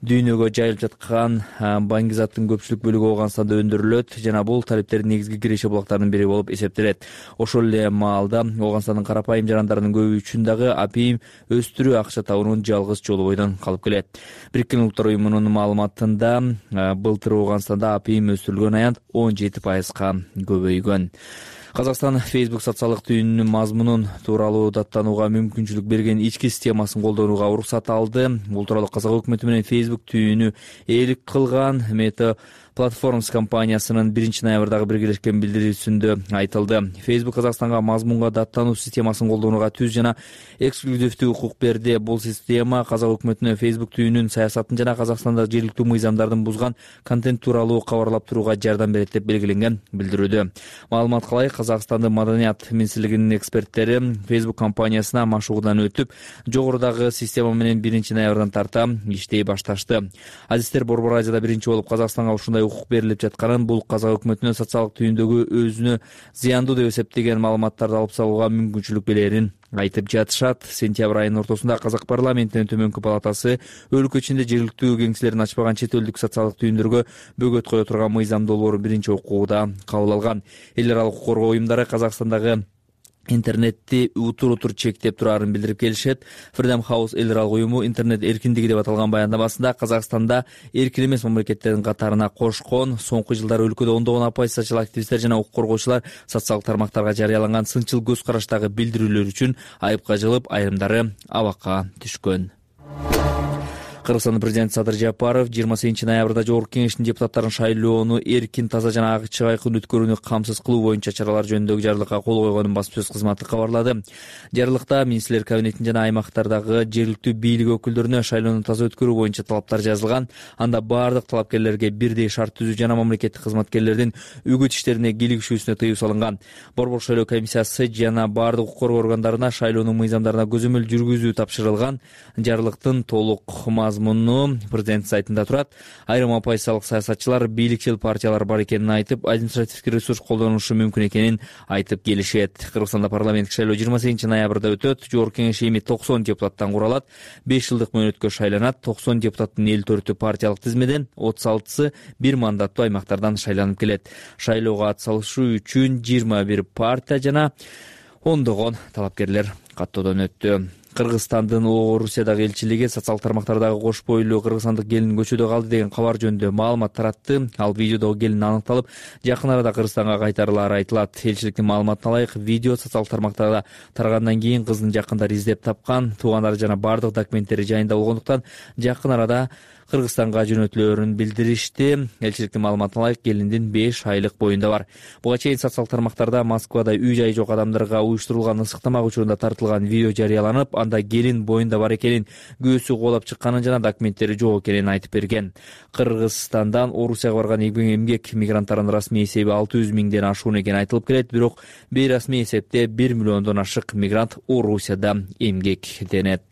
Дүйнөгө жайылып жаткан баңгизаттын көпчүлүк бөлүгү Ооганстанда өндүрүлөт жана бул талиптердин негизги киреше булактарынын бири болуп эсептелет. Ошол эле маалда Ооганстандын карапайым жарандарынын көбү үчүн дагы апийим өстүрүү акча табуунун жалгыз жолу бойдон калып келет. Бириккен Улуттар уюмунун маалыматында былтыр Ооганстанда апийим өстүрүлгөн аянт он жети пайызга көбөйгөн. Казакстан Facebook социалдык түйүнүнүн мазмунун тууралуу даттанууга мүмкүнчүлүк берген ички системасын колдонууга уруксат алды. Бул тууралуу Казак өкмөтү менен Facebook түйүнү ээлик кылган Meta Platforms компаниясынын биринчи ноябрдагы биргелешкен билдирүүсүндө айтылды. Facebook Казакстанга мазмунга даттануу системасын колдонууга түз жана эксклюзивдүү укук берди. Бул система Казак өкмөтүнө Facebook түйүнүн саясатын жана Казакстанда жергиликтүү мыйзамдардын бузган контент тууралуу кабарлап турууга жардам берет деп белгиленген билдирүүдө. Маалыматка ылайык, Казакстандын маданият министрлигинин эксперттери Facebook компаниясына машыгуудан өтүп, жогорудагы система менен биринчи ноябрдан тарта иштей башташты. Азиздер, Борбор Азияда биринчи болуп Казакстанга ушундай укук берилип жатканын, бул Казак өкмөтүнө социалдык түйүндөгү өзүнө зыяндуу деп эсептеген маалыматтарды алып салууга мүмкүнчүлүк берерин айтып жатышат. Сентябрь айынын ортосунда Казак парламентинин төмөнкү палатасы өлкө ичинде жергиликтүү кеңселерин ачпаган чет элдик социалдык түйүндөргө бөгөт кое турган мыйзам долбоорун биринчи окууда кабыл алган. Эл аралык укук коргоо уюмдары Казакстандагы интернетти утур утур чектеп турарын билдирип келишет. Freedom House эл аралык уюму интернет эркиндиги деп аталган баяндамасында Казакстанда эркин эмес мамлекеттердин катарына кошкон, соңку жылдары өлкөдө ондогон оппозициячыл активисттер жана укук коргоочулар социалдык тармактарга жарыяланган сынчыл көз караштагы билдирүүлөр үчүн айыпка жыгылып, айрымдары абакка түшкөн. Кыргызстандын президенти Садыр Жапаров жыйырма сегизинчи ноябрда Жогорку Кеңештин депутаттарын шайлоону эркин, таза жана ачык айкын өткөрүүнү камсыз кылуу боюнча чаралар жөнүндөгү жарлыкка кол койгонун басма сөз кызматы кабарлады. Жарлыкта министрлер кабинетинин жана аймактардагы жергиликтүү бийлик өкүлдөрүнө шайлоону таза өткөрүү боюнча талаптар жазылган. Анда бардык талапкерлерге бирдей шарт түзүү жана мамлекеттик кызматкерлердин үгүт иштерине кийлигишүүсүнө тыюу салынган. Борбордук шайлоо комиссиясы жана бардык укук коргоо органдарына шайлоонун мыйзамдарына көзөмөл жүргүзүү тапшырылган. Жарлыктын толук мазмуну президент сайтында турат. Айрым оппозициялык саясатчылар бийликчил партиялар бар экенин айтып, административдик ресурс колдонушу мүмкүн экенин айтып келишет. Кыргызстанда парламенттик шайлоо жыйырма сегизинчи ноябрда өтөт. Жогорку Кеңеш эми токсон депутаттан куралат. беш жылдык мөөнөткө шайланат. токсон депутаттын элүү төртү партиялык тизмеден, отуз алтысы бир мандаттуу аймактардан шайланып келет. Шайлоого ат салышуу үчүн жыйырма бир партия жана ондогон талапкерлер каттоодон өттү. Кыргызстандын Орусиядагы элчилиги социалдык тармактардагы кош бойлуу кыргызстандык келин көчөдө калды деген кабар жөнүндө маалымат таратты. Ал видеодогу келин аныкталып, жакын арада Кыргызстанга кайтарылары айтылат. Элчиликтин маалыматына ылайык, видео социалдык тармактарда тарагандан кийин кыздын жакындары издеп тапкан, туугандары жана бардык документтери жайында болгондуктан жакын арада Кыргызстанга жөнөтүлөрүн билдиришти. Элчиликтин маалыматына ылайык, келиндин беш айлык боюнда бар. Буга чейин социалдык тармактарда Москвада үй-жайы жок адамдарга уюштурулган ысык тамак учурунда тартылган видео жарыяланып, анда келин боюнда бар экенин, көөсү кубалап чыкканын жана документтери жок экенин айтып берген. Кыргызстандан Орусияга барган эмгек мигранттарынын расмий эсеби алты жүз миңден ашуун экени айтылып келет, бирок бейрасмий эсепте бир миллиондон ашык мигрант Орусияда эмгектенет.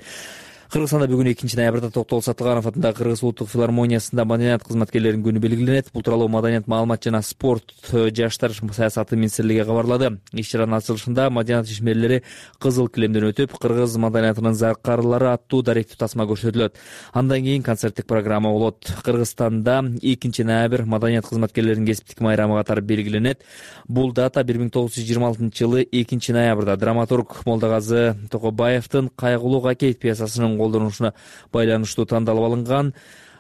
Кыргызстанда бүгүн экинчи ноябрда Токтол Сатылганов атындагы Кыргыз улуттук филармониясында маданият кызматкерлеринин күнү белгиленет. Бул тууралуу Маданият, маалымат жана спорт, жаштар саясаты министрлиги кабарлады. Иш-чаранын ачылышында маданият ишмерлери кызыл килемден өтүп, кыргыз маданиятынын заркарлары аттуу даректүү тасма көрсөтүлөт. Андан кийин концерттик программа болот. Кыргызстанда экинчи ноябрь маданият кызматкерлеринин кесиптик майрамы катары белгиленет. Бул дата бир миң тогуз жүз жыйырма алтынчы жылы экинчи ноябрда драматург Молдогазы Токобаевдин Кайгулуу Какейт пьесасынын колдонушуна байланыштуу тандалып алынган.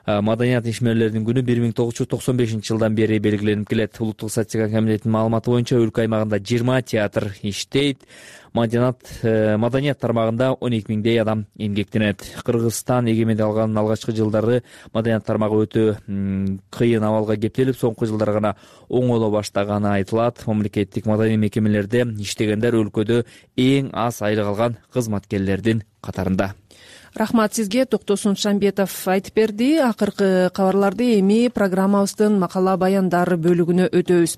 Маданият ишмерлеринин күнү бир миң тогуз жүз токсон бешинчи жылдан бери белгиленип келет. Улуттук статистика комитетинин маалыматы боюнча өлкө аймагында жыйырма театр иштейт. Маданият маданият тармагында он эки миңдей адам эмгектенет. Кыргызстан эгемендик алганын алгачкы жылдары маданият тармагы өтө кыйын абалга кептелип, соңку жылдары гана оңоло баштаганы айтылат. Мамлекеттик маданий мекемелерде иштегендер өлкөдө эң аз айлык алган кызматкерлердин катарында. Рахмат сизге. Токтосун Шамбетов айтып берди. Акыркы кабарларды эми программабыздын макала баяндар бөлүгүнө өтөбүз.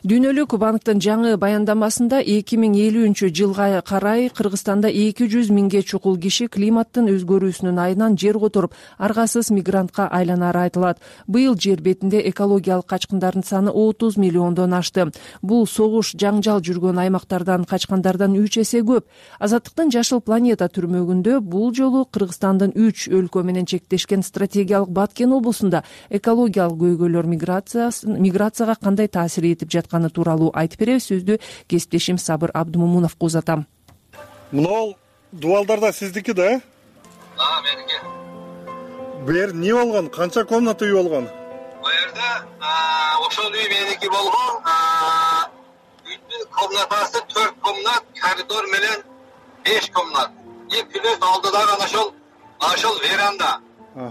Дүйнөлүк банктын жаңы баяндамасында эки миң элүүнчү жылга карай Кыргызстанда эки жүз миңге чукул киши климаттын өзгөрүүсүнүн айынан жер которуп, аргасыз мигрантка айланары айтылат. Быйыл жер бетинде экологиялык качкындардын саны отуз миллиондон ашты. Бул согуш, жаңжал жүргөн аймактардан качкандардан үч эсе көп. Азаттыктын жашыл планета түрмөгүндө бул жолу Кыргызстандын үч өлкө менен чектешкен стратегиялык Баткен облусунда экологиялык көйгөйлөр миграцияга кандай таасир этип жатканы тууралуу айтып беребиз. Сөздү кесиптешим Сабыр Абдымомуновго узатам. Мынау дубалдарда сиздики да? А, меники. Бу жер эмне болгон? Канча комната үй болгон? Бу жерде ошол үй меники болгон. Үйдүн комнатасы төрт комнат, коридор менен беш комнат. И плюс алдыдагы ана ошол ошол веранда.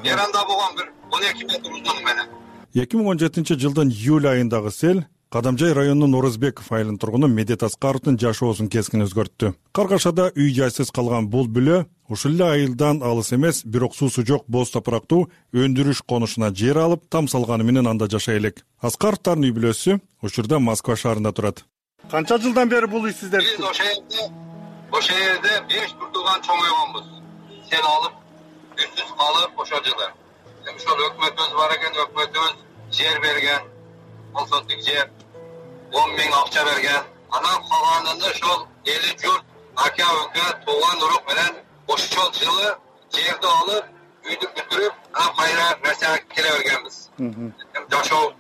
Веранда болгон бир он эки метр узун менен. эки миң он жетинчи жылдын июль айындагы сел Кадамжай районунун Орозбеков айылынын тургуну Медет Аскаровдун жашоосун кескин өзгөрттү. Каргашада үй жайсыз калган бул бүлө ушул эле айылдан алыс эмес, бирок суусу жок боз топурактуу өндүрүш конушуна жер алып, там салганы менен анда жашай элек. Аскаровдун үй бүлөсү учурда Москва шаарында турат. Канча жылдан бери бул үй сиздер? Биз ошол жерде ошол жерде беш туртуган чоңойгонбуз. Сел алып, үйсүз калып ошол жылы. Эми ошол өкмөтүбүз бар экен, өкмөтүбүз жер берген, колсоттук жер, он миң акча берген. Анан калганын ошол эли журт, ака өкө, тууган урук менен ошол жылы жерди алып, үйдү бүтүрүп, анан кайра Россияга келе бергенбиз. Жашоо,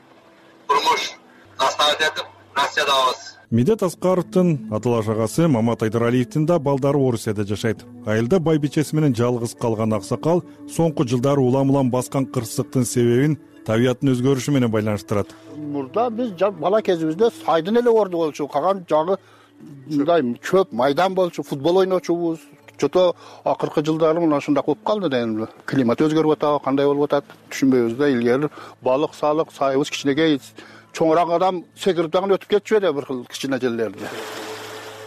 турмуш наставить этип, россиядабыз. Медет Аскаровдун аталаш агасы Мамат Айдаралиевдин да балдары Орусияда жашайт. Айылда байбичеси менен жалгыз калган аксакал соңку жылдары улам улам баскан кырсыктын себебин табияттын өзгөрүшү менен байланыштырат. Мурда биз бала кезибизде сайдын эле орду болчу, калган жагы мындай чөп майдан болчу, футбол ойночубуз. Чото акыркы жылдары мына ушундай болуп калды дейм. Климат өзгөрүп атат, кандай болуп атат түшүнбөйбүз да. Илгери балык салык сайыбыз кичинекей, чоңураак адам секирип дагы өтүп кетчү эле бир кыл кичине жерлерди.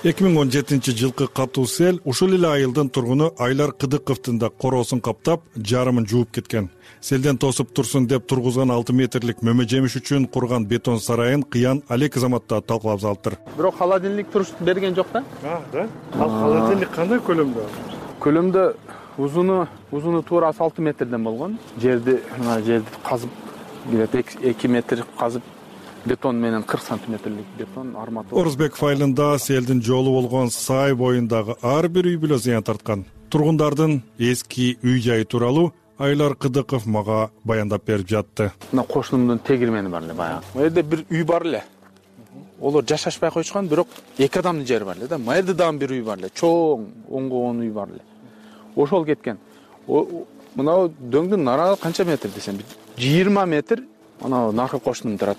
эки миң он жетинчи жылкы катуу сел ушул эле айылдын тургуну Айлар Кыдыковдун да короосун каптап, жарымын жууп кеткен. Селден тосуп турсун деп тургузган алты метрлик мөмө жемиш үчүн курган бетон сарайын Кыян Алек Азаматта талкалап залыптыр. Бирок холодильник туруш берген жок да? А, да. Ал холодильник кандай көлөмдө? Көлөмдө узуну, узуну туурасы алты метрден болгон. Жерди, мына жерди казып, эки метр казып бетон менен кырк сантиметрлик бетон арматура. Орузбеков айылында селдин жолу болгон сай боюндагы ар бир үй бүлө зыян тарткан. Тургундардын эски үй жайы тууралуу Айлар Кыдыков мага баяндап берип жатты. Мына кошунумдун тегирмени бар эле баягы. Бу жерде бир үй бар эле. Олор жашашпай койчукан, бирок эки адамдын жери бар эле да. Мына жерде дагы бир үй бар эле. Чоң оңгогон үй бар эле. Ошол кеткен. Мына дөңдүн нарагы канча метр десем, жыйырма метр. Ана наркы кошунум турат.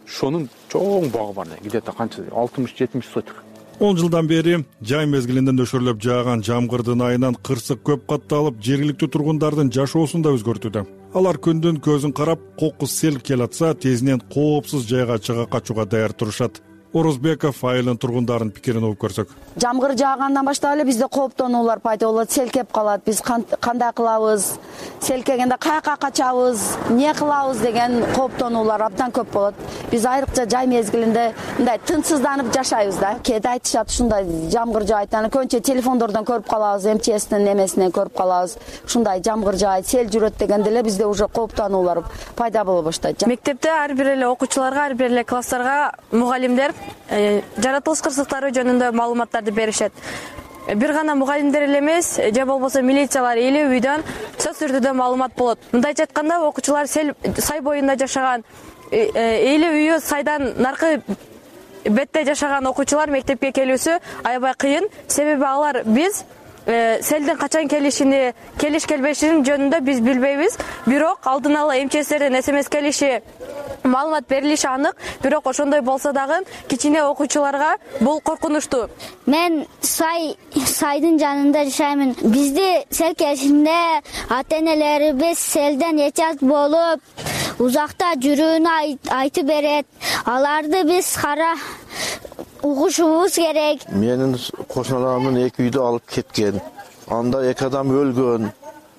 Шонун чоң багы бар эле. Где-то канча алтымыш жетимиш сотик. он жылдан бери жай мезгилинде нөшөрлөп жааган жамгырдын айынан кырсык көп катталып, жергиликтүү тургундардын жашоосун да өзгөртүүдө. Алар күндүн көзүн карап, кокус сел келатса, тезинен коопсуз жайга чыга качууга даяр турушат. Орузбеков айылдын тургундарын пикирин угуп көрсөк. Жамгыр жаагандан баштап эле бизде кооптонуулар пайда болот, сел кеп калат. Биз кандай кылабыз? Сел келгенде каяка качабыз? Эмне кылабыз деген кооптонуулар абдан көп болот. Биз айрыкча жай мезгилинде мындай тынчсызданып жашайбыз да. Кээде айтышат ушундай жамгыр жаайт, аны көбүнчө телефондордон көрүп калабыз, эм че эстин эмесинен көрүп калабыз. Ушундай жамгыр жаайт, сел жүрөт дегенде эле бизде уже кооптонуулар пайда боло баштайт. Мектепте ар бир эле окуучуларга, ар бир эле класстарга мугалимдер жаратылыш кырсыктары жөнүндө маалыматтарды беришет. Бир гана мугалимдер эле эмес, же болбосо милициялар элүү үйдөн сөз түрдүү маалымат болот. Мындайча айтканда, окуучулар сел сай боюнда жашаган, элүү үйү сайдан наркы бетте жашаган окуучулар мектепке келүүсү аябай кыйын. Себеби алар биз селдин качан келишини, келиш келбешин жөнүндө биз билбейбиз. Бирок алдын ала эм че эстерден эс эм эс келиши, маалымат берилиши анык. Бирок ошондой болсо дагы кичине окуучуларга бул коркунучтуу. Мен сай сайдын жанында жашаймын. Бизди сел келишинде ата-энелерибиз селден эчат болуп, узакта жүрүүнү айтып берет. Аларды биз кара угушубуз керек. Менин кошуналарымдын эки үйдү алып кеткен. Анда эки адам өлгөн.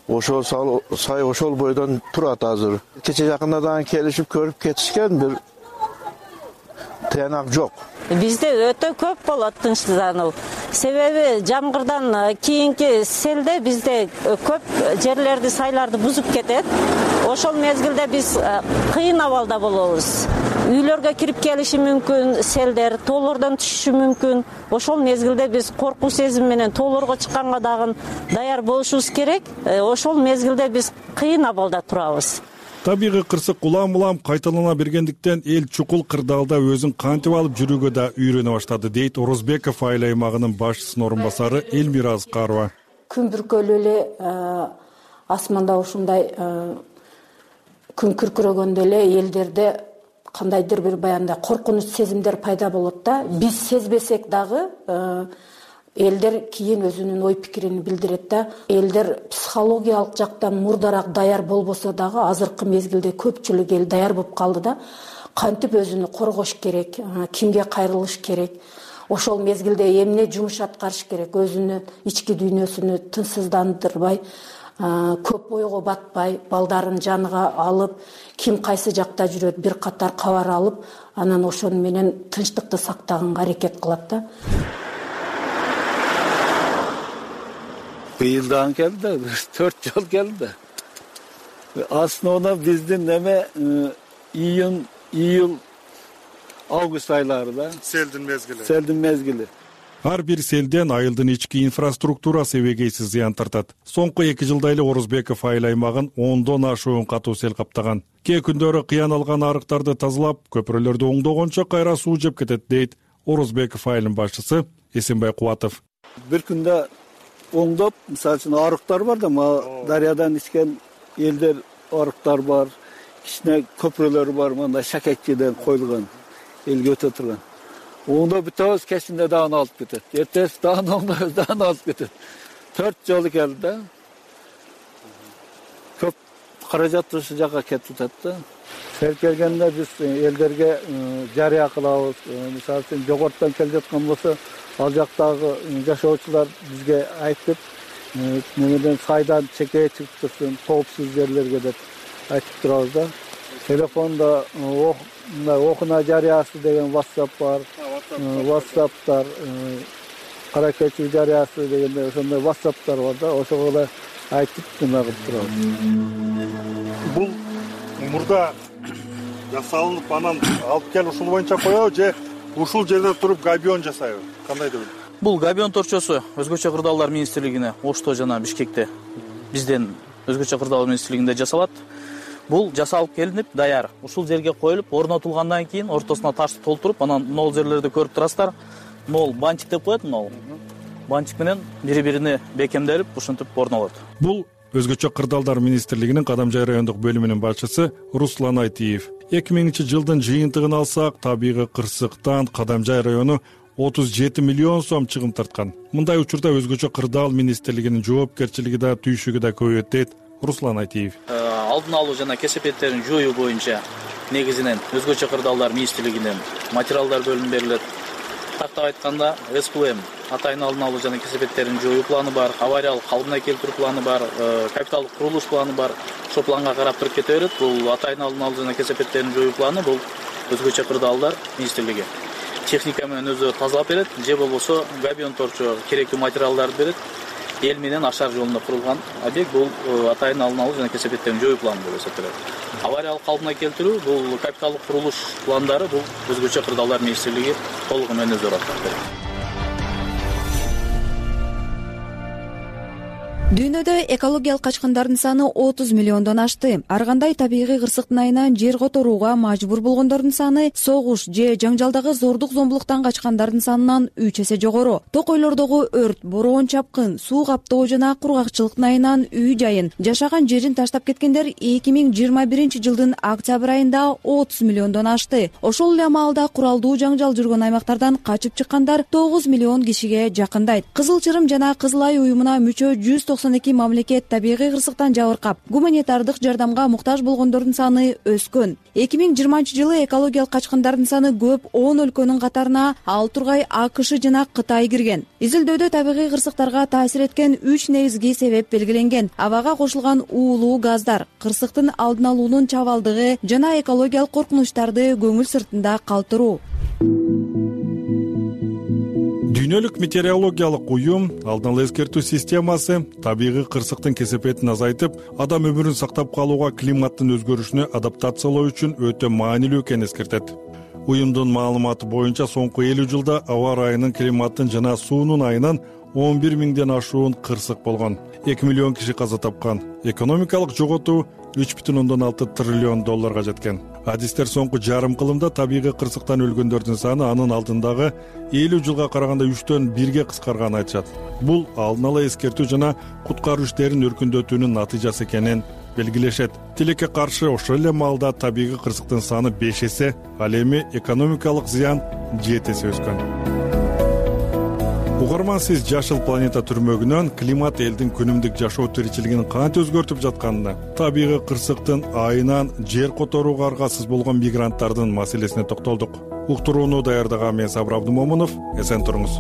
Ошол сай ошол бойдон турат азыр. Кече жакында дагы келишип көрүп кетишкен, бир тыянак жок. Бизде өтө көп болот тынчсыздануу. Себеби жамгырдан кийинки селде бизде көп жерлерди, сайларды бузуп кетет. Ошол мезгилде биз кыйын абалда болобуз. Үйлөргө кирип келиши мүмкүн, селдер тоолордон түшүшү мүмкүн. Ошол мезгилде биз коркуу сезим менен тоолорго чыкканга дагы даяр болушубуз керек. Ошол мезгилде биз кыйын абалда турабыз. Табигый кырсык улам-улам кайталана бергендиктен эл чукул кырдаалда өзүн кантип алып жүрүүгө да үйрөнө баштады, дейт Орузбеков айыл аймагынын башчысынын орун басары Элмира Аскарова. Күн бүркөлүү эле асманда ушундай күн күркүрөгөндө эле элдерде кандайдыр бир баягындай коркунуч сезимдер пайда болот да. Биз сезбесек дагы элдер кийин өзүнүн ой пикирин билдирет да. Элдер психологиялык жактан мурдараак даяр болбосо дагы азыркы мезгилде көпчүлүк эл даяр болуп калды да. Кантип өзүнү коргош керек, кимге кайрылыш керек, ошол мезгилде эмне жумуш аткарыш керек, өзүнүн ички дүйнөсүнү тынчсыздандырбай, көп ойго батпай, балдарын жаныга алып, ким кайсы жакта жүрөт бир катар кабар алып, анан ошону менен тынчтыкты сактаганга аракет кылат да. Быйылдан келди да, төрт жол келди. Основно биздин неме июнь, июль, август айлары да. Селдин мезгили. Селдин мезгили. Ар бир селден айылдын ички инфраструктурасы эбегейсиз зыян тартат. Соңку эки жылда эле Орузбеков айыл аймагын ондон ашуун катуу сел каптаган. Кээ күндөрү кыян алган арыктарды тазалап, көпүрөлөрдү оңдогончо кайра суу жеп кетет, дейт Орузбеков айылынын башчысы Эсенбай Кубатов. Бир күндө оңдоп, мисалы үчүн арыктар бар да, дарыядан ичкен элдер арыктар бар, кичине көпүрөлөр бар, мындай шакекчиден коюлган, элге өтө турган. Оңдоп бүтөбүз, кечинде дагы алып кетет. Эртеси дагы оңдойбуз, дагы алып кетет. Төрт жолу келди да. Көп каражат ушу жака кетип атат да. Сел келгенде биз элдерге жарыя кылабыз. Мисалы үчүн жогорттон келип жаткан болсо, ал жактагы жашоочулар бизге айтып, немеден сайдан чекей чыгып турсын, коопсуз жерлерге деп айтып турабыз да. Телефонда мындай окуна жарыясы деген WhatsApp бар. WhatsApp'тар, кара кечүү жарыясы дегенде ошондой WhatsApp'тар бар да, ошого да айтып жана кылып турабыз. Бул мурда жасалынып, анан алып келип ушул боюнча коебу же ушул жерде туруп габион жасайбы? Кандай деп? Бул габион торчосу өзгөчө кырдаалдар министрлигине, Ошто жана Бишкекте бизден өзгөчө кырдаалдар министрлигинде жасалат. Бул жасалып келинип, даяр. Ушул жерге коюлуп, орнотулгандан кийин ортосуна ташты толтуруп, анан могул жерлерди көрүп турасыздар. Могул бантик деп коет, могул. Бантик менен бири-бирине бекемделип, ушинтип орнолот. Бул өзгөчө кырдаалдар министрлигинин Кадамжай райондук бөлүмүнүн башчысы Руслан Айтиев. эки миңинчи жылдын жыйынтыгын алсак, табигый кырсыктан Кадамжай району отуз жети миллион сом чыгым тарткан. Мындай учурда өзгөчө кырдаал министрлигинин жоопкерчилиги да, түйшүгү да көбөйөт, дейт Руслан Айтиев. Алдын алуу жана кесепеттерин жоюу боюнча негизинен өзгөчө кырдаалдар министрлигинен материалдар бөлүнүп берилет. Тактап айтканда, эс пэ эм атайын алдын алуу жана кесепеттерин жоюу планы бар, авариялык калыбына келтирүү планы бар, капиталдык курулуш планы бар. Ошол планга карап туруп кете берет. Бул атайын алдын алуу жана кесепеттерин жоюу планы бул өзгөчө кырдаалдар министрлиги техника менен өзү тазалап берет, же болбосо габион торчо керектүү материалдарды берет. Эл менен ашар жолунда курулган объект бул атайын алдын алуу жана кесепеттерин жоюу планы деп эсептелет. Авариялык калыбына келтирүү бул капиталдык курулуш пландары бул өзгөчө кырдаалдар министрлиги толугу менен өзү аткарып берет. Дүйнөдө экологиялык качкындардын саны отуз миллиондон ашты. Ар кандай табигый кырсыктын айынан жер которууга мажбур болгондордун саны согуш же жаңжалдагы зордук зомбулуктан качкандардын санынан үч эсе жогору. Токойлордогу өрт, бороон чапкын, суу каптоо жана кургакчылыктын айынан үй жайын, жашаган жерин таштап кеткендер эки миң жыйырма биринчи жылдын октябрь айында отуз миллиондон ашты. Ошол эле маалда куралдуу жаңжал жүргөн аймактардан качып чыккандар тогуз миллион кишиге жакындайт. Кызыл Чырым жана Кызыл Ай уюмуна мүчө жүз токсон эки мамлекет табигый кырсыктан жабыркап, гуманитардык жардамга муктаж болгондордун саны өскөн. эки миң жыйырманчы жылы экологиялык качкындардын саны көп он өлкөнүн катарына ал тургай АКШ жана Кытай кирген. Изилдөөдө табигый кырсыктарга таасир эткен үч негизги себеп белгиленген. Абага кошулган уулуу газдар, кырсыктын алдын алуунун чабалдыгы жана экологиялык коркунучтарды көңүл сыртында калтыруу. Дүйнөлүк метеорологиялык уюм алдын ала эскертүү системасы табигый кырсыктын кесепетин азайтып, адам өмүрүн сактап калууга климаттын өзгөрүшүнө адаптациялоо үчүн өтө маанилүү экенин эскертет. Уюмдун маалыматы боюнча соңку элүү жылда аба ырайынын, климаттын жана суунун айынан он бир миңден ашуун кырсык болгон. эки миллион киши каза тапкан. Экономикалык жоготуу үч бүтүн ондон алты триллион долларга жеткен. Адистер соңку жарым кылымда табигый кырсыктан өлгөндөрдүн саны анын алдындагы элүү жылга караганда үчтөн бирге кыскарганын айтышат. Бул алдын ала эскертүү жана куткаруу иштерин өркүндөтүүнүн натыйжасы экенин белгилешет. Тилекке каршы ошол эле маалда табигый кырсыктын саны беш эсе, ал эми экономикалык зыян жети эсе өскөн. Угарман, сиз Жашыл планета түрмөгүнөн климат элдин күнүмдүк жашоо тиричилигин кантип өзгөртүп жатканына, табигый кырсыктын айынан жер которууга аргасыз болгон мигранттардын маселесине токтолдук. Уктурууну даярдаган мен Сабыр Абдымомунов. Эсен туруңуз.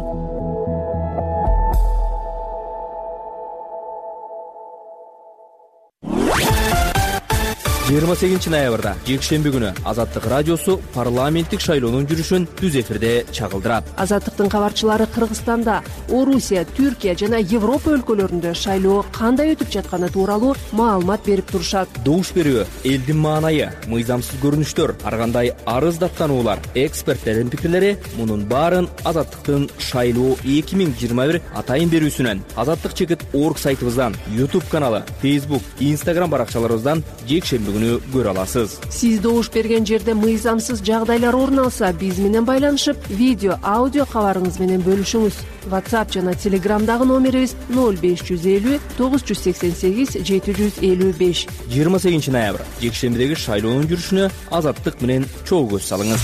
жыйырма сегизинчи ноябрда жекшемби күнү Азаттык радиосу парламенттик шайлоонун жүрүшүн түз эфирде чагылдырат. Азаттыктын кабарчылары Кыргызстанда, Орусия, Түркия жана Европа өлкөлөрүндө шайлоо кандай өтүп жатканы тууралуу маалымат берип турушат. Добуш берүү, элдин маанайы, мыйзамсыз көрүнүштөр, ар кандай арыз даттануулар, эксперттердин пикирлери — мунун баарын Азаттыктын шайлоо эки миң жыйырма бир атайын берүүсүнөн, Азаттык чекит орг сайтыбыздан, YouTube каналы, Facebook, Instagram баракчаларыбыздан жекшемби күнү көрө аласыз. Сиз добуш берген жерде мыйзамсыз жагдайлар орун алса, биз менен байланышып, видео, аудио кабарыңыз менен бөлүшүңүз. WhatsApp жана Telegramдагы номерибиз ноль беш жүз элүү тогуз жүз сексен сегиз жети жүз элүү беш. жыйырма сегизинчи ноябрь жекшембидеги шайлоонун жүрүшүнө Азаттык менен чогуу көз салыңыз.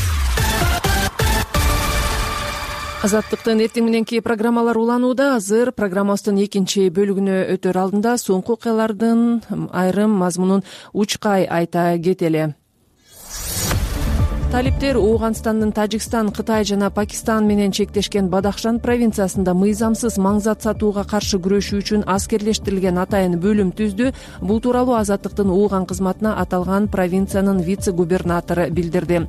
Азаттыктын эртең мененки программалар уланууда. Азыр программабыздын экинчи бөлүгүнө өтөр алдында соңку окуялардын айрым мазмунун учкай айта кетели. Талиптер Ооганстандын Тажикстан, Кытай жана Пакистан менен чектешкен Бадахшан провинциясында мыйзамсыз маңзат сатууга каршы күрөшүү үчүн аскерлештирилген атайын бөлүм түздү. Бул тууралуу Азаттыктын Ооган кызматына аталган провинциянын вице-губернатору билдирди.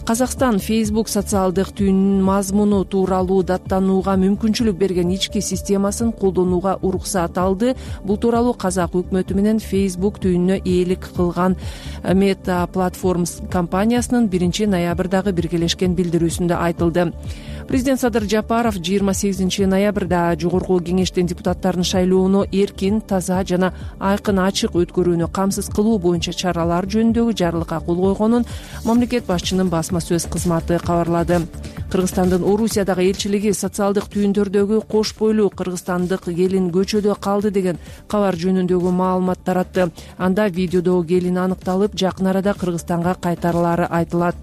Казакстан Facebook социалдык түйүнүнүн мазмуну тууралуу даттанууга мүмкүнчүлүк берген ички системасын колдонууга уруксат алды. Бул тууралуу Казак өкмөтү менен Facebook түйүнүнө ээлик кылган Meta Platforms компаниясынын биринчи ноябрдагы биргелешкен билдирүүсүндө айтылды. Президент Садыр Жапаров жыйырма сегизинчи ноябрда жогорку кеңештин депутаттарын шайлоону эркин, таза жана айкын ачык өткөрүүнү камсыз кылуу боюнча чаралар жөнүндөгү жарлыкка кол койгонун мамлекет башчынын басма сөз кызматы кабарлады. Кыргызстандын Орусиядагы элчилиги социалдык түйүндөрдөгү кош бойлуу кыргызстандык келин көчөдө калды деген кабар жөнүндөгү маалымат таратты. Анда видеодогу келин аныкталып, жакын арада Кыргызстанга кайтарылары айтылат.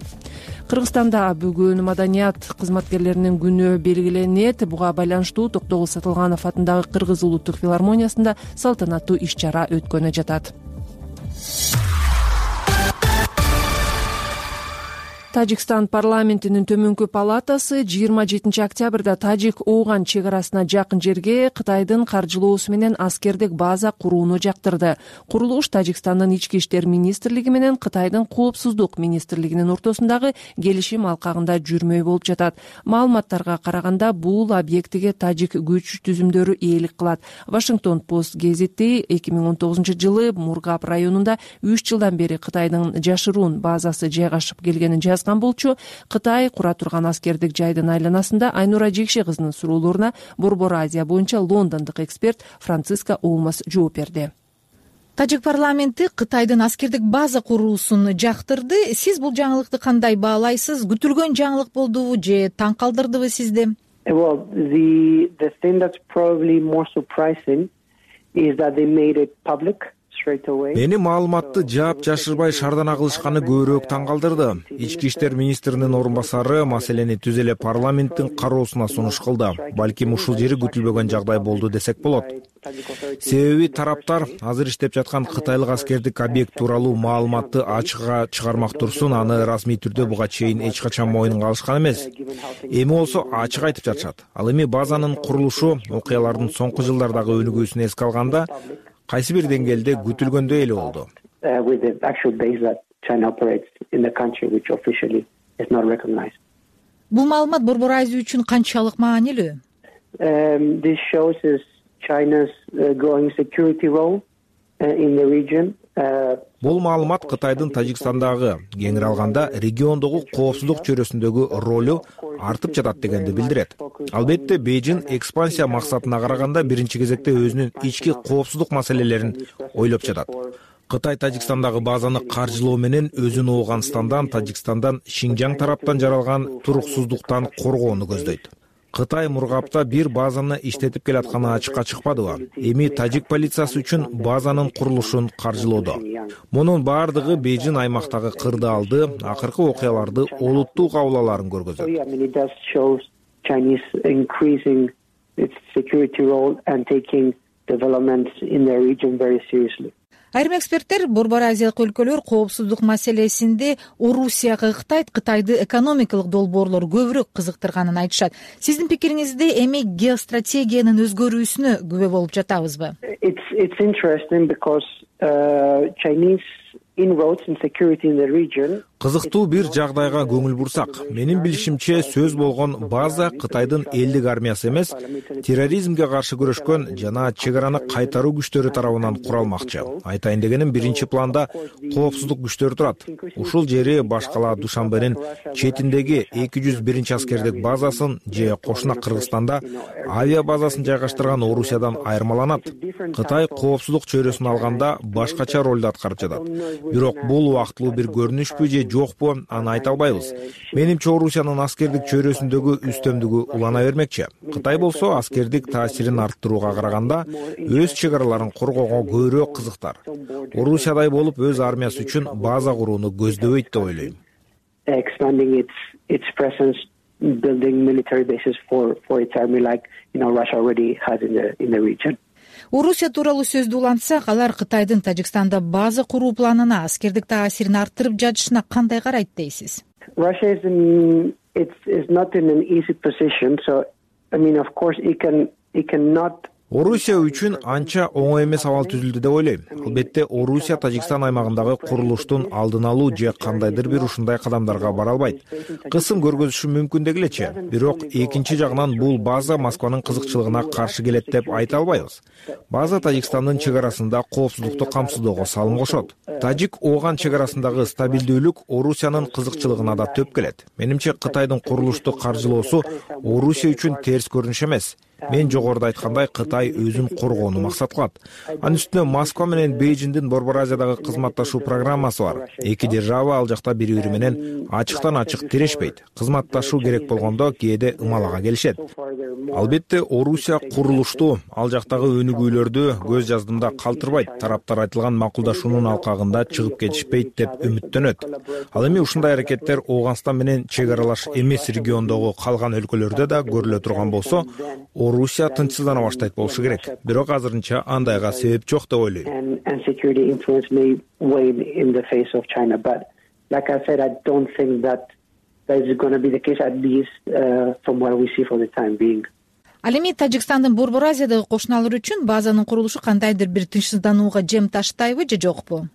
Кыргызстанда бүгүн маданият кызматкерлеринин күнү белгиленет. Буга байланыштуу Токтогул Сатылганов атындагы Кыргыз улуттук филармониясында салтанаттуу иш-чара өткөнү жатат. Тажикстан парламентинин төмөнкү палатасы жыйырма жетинчи октябрда Тажик-Ооган чек арасына жакын жерге Кытайдын каржылоосу менен аскердик база курууну жактырды. Курулуш Тажикстандын ички иштер министрлиги менен Кытайдын коопсуздук министрлигинин ортосундагы келишим алкагында жүрмөй болуп жатат. Маалыматтарга караганда бул объектиге тажик күч түзүмдөрү ээлик кылат. Вашингтон Пост гезити эки миң он тогузунчу жылы Мургаб районунда үч жылдан бери Кытайдын жашыруун базасы жайгашып келгенин жазган болчу. Кытай кура турган аскердик жайдын айланасында Айнура Жекше кызынын суроолоруна Борбор Азия боюнча лондондук эксперт Франциска Олмас жооп берди. Тажик парламенти Кытайдын аскердик база куруусун жактырды. Сиз бул жаңылыкты кандай баалайсыз? Күтүлгөн жаңылык болдубу же таң калтырдыбы сизди? Well, the the thing that's probably more surprising is that they made it public. Мени маалыматты жаап жашырбай шардана кылышканы көбүрөөк таң калтырды. Ички иштер министринин орун басары маселени түз эле парламенттин кароосуна сунуш кылды. Балким ушул жери күтүлбөгөн жагдай болду десек болот. Себеби тараптар азыр иштеп жаткан кытайлык аскердик объект тууралуу маалыматты ачыкка чыгармак турсун, аны расмий түрдө буга чейин эч качан мойнунга алышкан эмес. Эми болсо ачык айтып жатышат. Ал эми базанын курулушу окуялардын соңку жылдардагы өнүгүүсүн эске алганда кайсы бир деңгээлде күтүлгөндөй эле болду. Бул маалымат Борбор Азия үчүн канчалык маанилүү? Бул маалымат Кытайдын Тажикстандагы, кеңири алганда региондогу коопсуздук чөйрөсүндөгү ролу артып жатат дегенди билдирет. Албетте Бейжин экспансия максатына караганда биринчи кезекте өзүнүн ички коопсуздук маселелерин ойлоп жатат. Кытай Тажикстандагы базаны каржылоо менен өзүн Ооганстандан, Тажикстандан, Шинжаң тараптан жаралган туруксуздуктан коргоону көздөйт. Кытай Мургапта бир базаны иштетип келатканы ачыкка чыкпадыбы? Эми тажик полициясы үчүн базанын курулушун каржылоодо. Мунун баардыгы Бейжин аймактагы кырдаалды, акыркы окуяларды олуттуу кабыл көргөзөт. Айрым эксперттер Борбор Азиялык өлкөлөр коопсуздук маселесинде Орусияга Кытай, Кытайды экономикалык долбоорлор көбүрөөк кызыктырганын айтышат. Сиздин пикириңизде эми геостратегиянын өзгөрүүсүнө күбө болуп жатабызбы? It's it's interesting because uh, Chinese inroads in security in the region. Кызыктуу бир жагдайга көңүл бурсак, менин билишимче сөз болгон база Кытайдын элдик армиясы эмес, терроризмге каршы күрөшкөн жана чек араны кайтаруу күчтөрү тарабынан куралмакчы. Айтайын дегеним, биринчи планда коопсуздук күчтөрү турат. Ушул жери башкала Душанбенин четиндеги эки жүз биринчи аскердик базасын же кошуна Кыргызстанда авиа базасын жайгаштырган Орусиядан айырмаланат. Кытай коопсуздук чөйрөсүн алганда башкача ролду аткарып жатат. Бирок бул убактылуу бир көрүнүшпү же жокпу, аны айта албайбыз. Менимче Орусиянын аскердик чөйрөсүндөгү үстөмдүгү улана бермекчи. Кытай болсо аскердик таасирин арттырууга караганда өз чек араларын коргоого көбүрөөк кызыктар. Орусиядай болуп өз армиясы үчүн база курууну көздөбөйт деп ойлойм. Expanding its its presence, building military bases for for its army, like you know Russia already has in the in the region. Орусия тууралуу сөздү улантсак, алар Кытайдын Тажикстанда база куруу планына, аскердик таасирин арттырып жатышына кандай карайт дейсиз? Russia is in it's is not in an easy position, so I mean of course it can it cannot. Орусия үчүн анча оңой эмес абал түзүлдү деп ойлойм. Албетте Орусия Тажикстан аймагындагы курулуштун алдын алуу же кандайдыр бир ушундай кадамдарга бара албайт. Кысым көргөзүшү мүмкүн дегилечи. Бирок экинчи жагынан бул база Москванын кызыкчылыгына каршы келет деп айта албайбыз. База Тажикстандын чек арасында коопсуздукту камсыздоого салым кошот. Тажик Оган чек арасындагы стабилдүүлүк Орусиянын кызыкчылыгына да төп келет. Менимче Кытайдын курулушту каржылоосу Орусия үчүн терс көрүнүш эмес. Мен жогоруда айткандай, Кытай өзүн коргоону максат кылат. Анын үстүнө Москва менен Бейжиңдин Борбор Азиядагы кызматташуу программасы бар. Эки держава ал жакта бири-бири менен ачыктан ачык тирешпейт. Кызматташуу керек болгондо кээде ымалага келишет. Албетте Орусия курулушту, ал жактагы өнүгүүлөрдү көз жаздымда калтырбайт. Тараптар айтылган макулдашуунун алкагында чыгып кетишпейт деп үмүттөнөт. Ал эми ушундай аракеттер Ооганстан менен чек аралаш эмес региондогу калган өлкөлөрдө да көрүлө турган болсо, Орусия тынчсыздана баштайт болушу керек. Бирок азырынча андайга себеп жок деп ойлойм. And security influence may wane in the face of China, but like I said, I don't think that that is going to be the case, at least uh, from what we see for the time being. Ал эми Тажикстандын Борбор Азиядагы кошуналары үчүн базанын курулушу кандайдыр бир тынчсызданууга жем таштайбы же жокпу?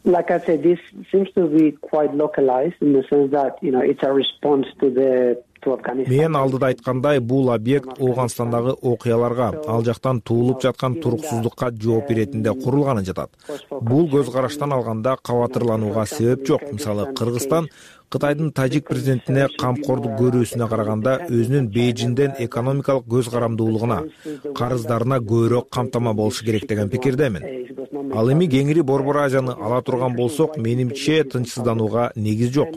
Like I said, this seems to be quite localized in the sense that, you know, it's a response to the Мен алдыда айткандай, бул объект Ооганстандагы окуяларга, ал жактан туулуп жаткан туруксуздукка жооп беретинде курулганы жатат. Бул көз караштан алганда кабатырланууга себеп жок. Мисалы, Кыргызстан Кытайдын Тажик президентине камкордук көрүүсүнө караганда өзүнүн Бейжиңден экономикалык көз карамдуулугуна, карыздарына көбүрөөк камтама болушу керек деген пикирдемин. Ал эми кеңири Борбор Азияны ала турган болсок, менимче тынчсызданууга негиз жок.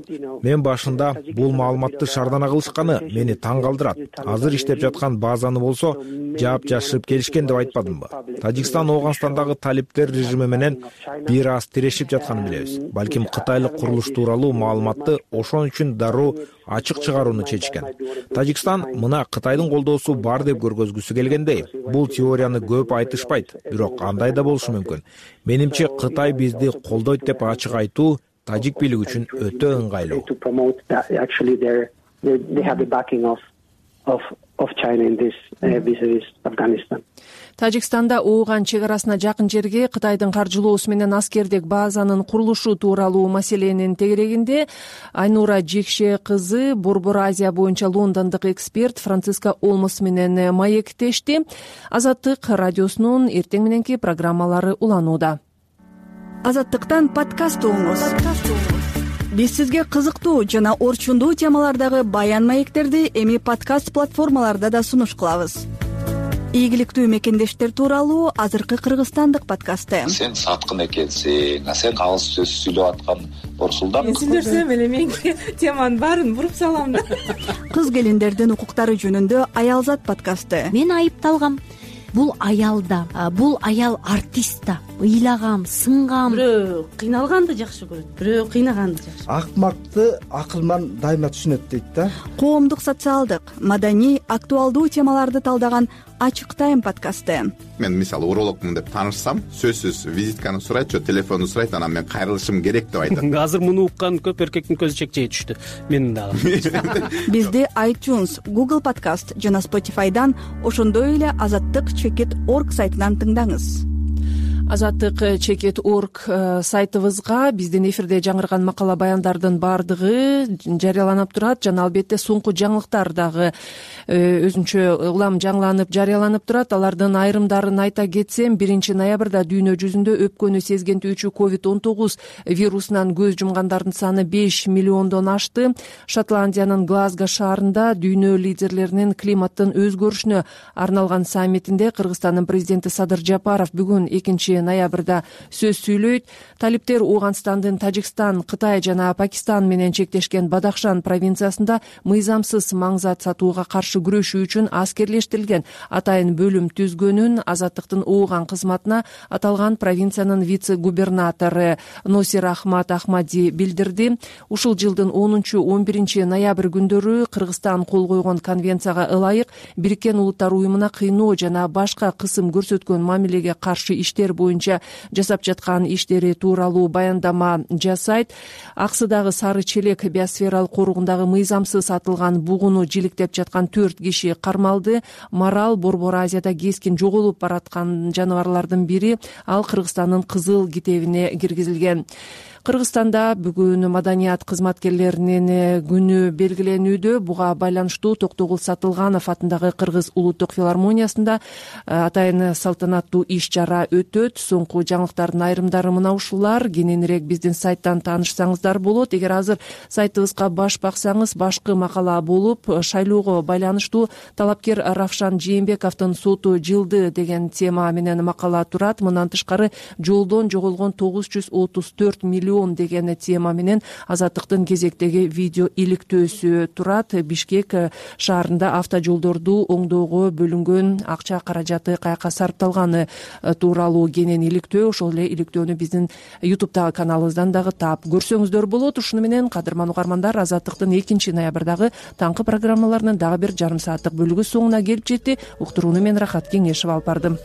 Мен башында бул маалыматты шардана кылышканы мени таң калтырат. Азыр иштеп жаткан базаны болсо жаап жашырып келишкен деп айтпадымбы? Тажикстан Ооганстандагы талиптер режими менен бир аз тирешип жатканын билебиз. Балким кытайлык курулуш тууралуу маалыматты ошон үчүн дароо ачык чыгарууну чечкен. Тажикстан мына Кытайдын колдоосу бар деп көргөзгүсү келгендей. Бул теорияны көп айтышпайт, бирок андай да болушу мүмкүн. Менимче Кытай бизди колдойт деп ачык айтуу тажик бийлиги үчүн өтө ыңгайлуу. Of China in this uh, vis-a-vis Afghanistan. Тажикстанда Ооган чек арасына жакын жерге Кытайдын каржылоосу менен аскердик базанын курулушу тууралуу маселенин тегерегинде Айнура Жекше кызы Борбор Азия боюнча лондондук эксперт Франциска Олмос менен маектешти. Азаттык радиосунун эртең мененки программалары уланууда. Азаттыктан подкаст угуңуз. Биз сизге кызыктуу жана орчундуу темалардагы баян маектерди эми подкаст платформаларда да сунуш кылабыз. Ийгиликтүү мекендештер тууралуу азыркы кыргызстандык подкасты. Сен саткын экенсиң, сен кагыз сөз сүйлөп аткан Борсулдан. Мен сүйлөсөм эле мен теманын баарын буруп салам да. Кыз келиндердин укуктары жөнүндө Аялзат подкасты. Мен айыпталгам. Бул аял да, бул аял артист да. Ыйлагам, сынгам. Бирөө кыйналганды жакшы көрөт, бирөө кыйнаганды жакшы. Акмакты акылман дайыма түшүнөт дейт да. Коомдук, социалдык, маданий, актуалдуу темаларды талдаган Ачык тайм подкасты. Мен мисалы урологмун деп таанышсам, сөзсүз визитканы сурайт, телефонду сурайт, анан мен кайрылышым керек деп айтат. Азыр муну уккан көп эркектин көзү чекчей түштү. Менин дагы. Бизди iTunes, Google Podcast жана Spotify'дан, ошондой эле азаттык чекит точка орг сайтынан тыңдаңыз. азаттык чекит орг сайтыбызга биздин эфирде жаңырган макала баяндардын баардыгы жарыяланып турат жана албетте соңку жаңылыктар дагы өзүнчө улам жаңыланып жарыяланып турат. Алардын айрымдарын айта кетсем, биринчи ноябрда дүйнө жүзүндө өпкөнү сезгентүүчү ковид он тогуз вирусунан көз жумгандардын саны беш миллиондон ашты. Шотландиянын Глазго шаарында дүйнө лидерлеринин климаттын өзгөрүшүнө арналган саммитинде Кыргызстандын президенти Садыр Жапаров бүгүн экинчи ноябрда сөз сүйлөйт. Талиптер Ооганстандын Тажикстан, Кытай жана Пакистан менен чектешкен Бадахшан провинциясында мыйзамсыз маңзат сатууга каршы күрөшүү үчүн аскерлештирилген атайын бөлүм түзгөнүн азаттыктын Ооган кызматына аталган провинциянын вице-губернатору Носир Ахмад Ахмади билдирди. Ушул жылдын онунчу он биринчи ноябрь күндөрү Кыргызстан кол койгон конвенцияга ылайык Бириккен Улуттар уюмуна кыйноо жана башка кысым көрсөткөн мамилеге каршы иштер боюнча жасап жаткан иштери тууралуу баяндама жасайт. Аксыдагы Сары Челек биосфералык коругундагы мыйзамсыз атылган бугуну жиликтеп жаткан төрт киши кармалды. Марал Борбор Азияда кескин жоголуп бараткан жаныбарлардын бири. Ал Кыргызстандын кызыл китебине киргизилген. Кыргызстанда бүгүн маданият кызматкерлеринин күнү белгиленүүдө. Буга байланыштуу Токтогул Сатылганов атындагы Кыргыз улуттук филармониясында атайын салтанаттуу иш чара өтөт. Соңку жаңылыктардын айрымдары мына ушулар. Кененирээк биздин сайттан таанышсаңыздар болот. Эгер азыр сайтыбызга баш баксаңыз, башкы макала болуп шайлоого байланыштуу талапкер Равшан Жээнбековдун соту жылды деген тема менен макала турат. Мындан тышкары жолдон жоголгон тогуз жүз отуз төрт миллион деген тема менен азаттыктын кезектеги видео иликтөөсү турат. Бишкек шаарында автожолдорду оңдоого бөлүнгөн акча каражаты каяка сарпталганы тууралуу кенен иликтөө. Ошол эле иликтөөнү биздин ютубтагы каналыбыздан дагы таап көрсөңүздөр болот. Ушуну менен кадырман угармандар, азаттыктын экинчи ноябрдагы таңкы программаларынын дагы бир жарым сааттык бөлүгү соңуна келип жетти. Уктурууну мен Рахат Кеңешева алып бардым.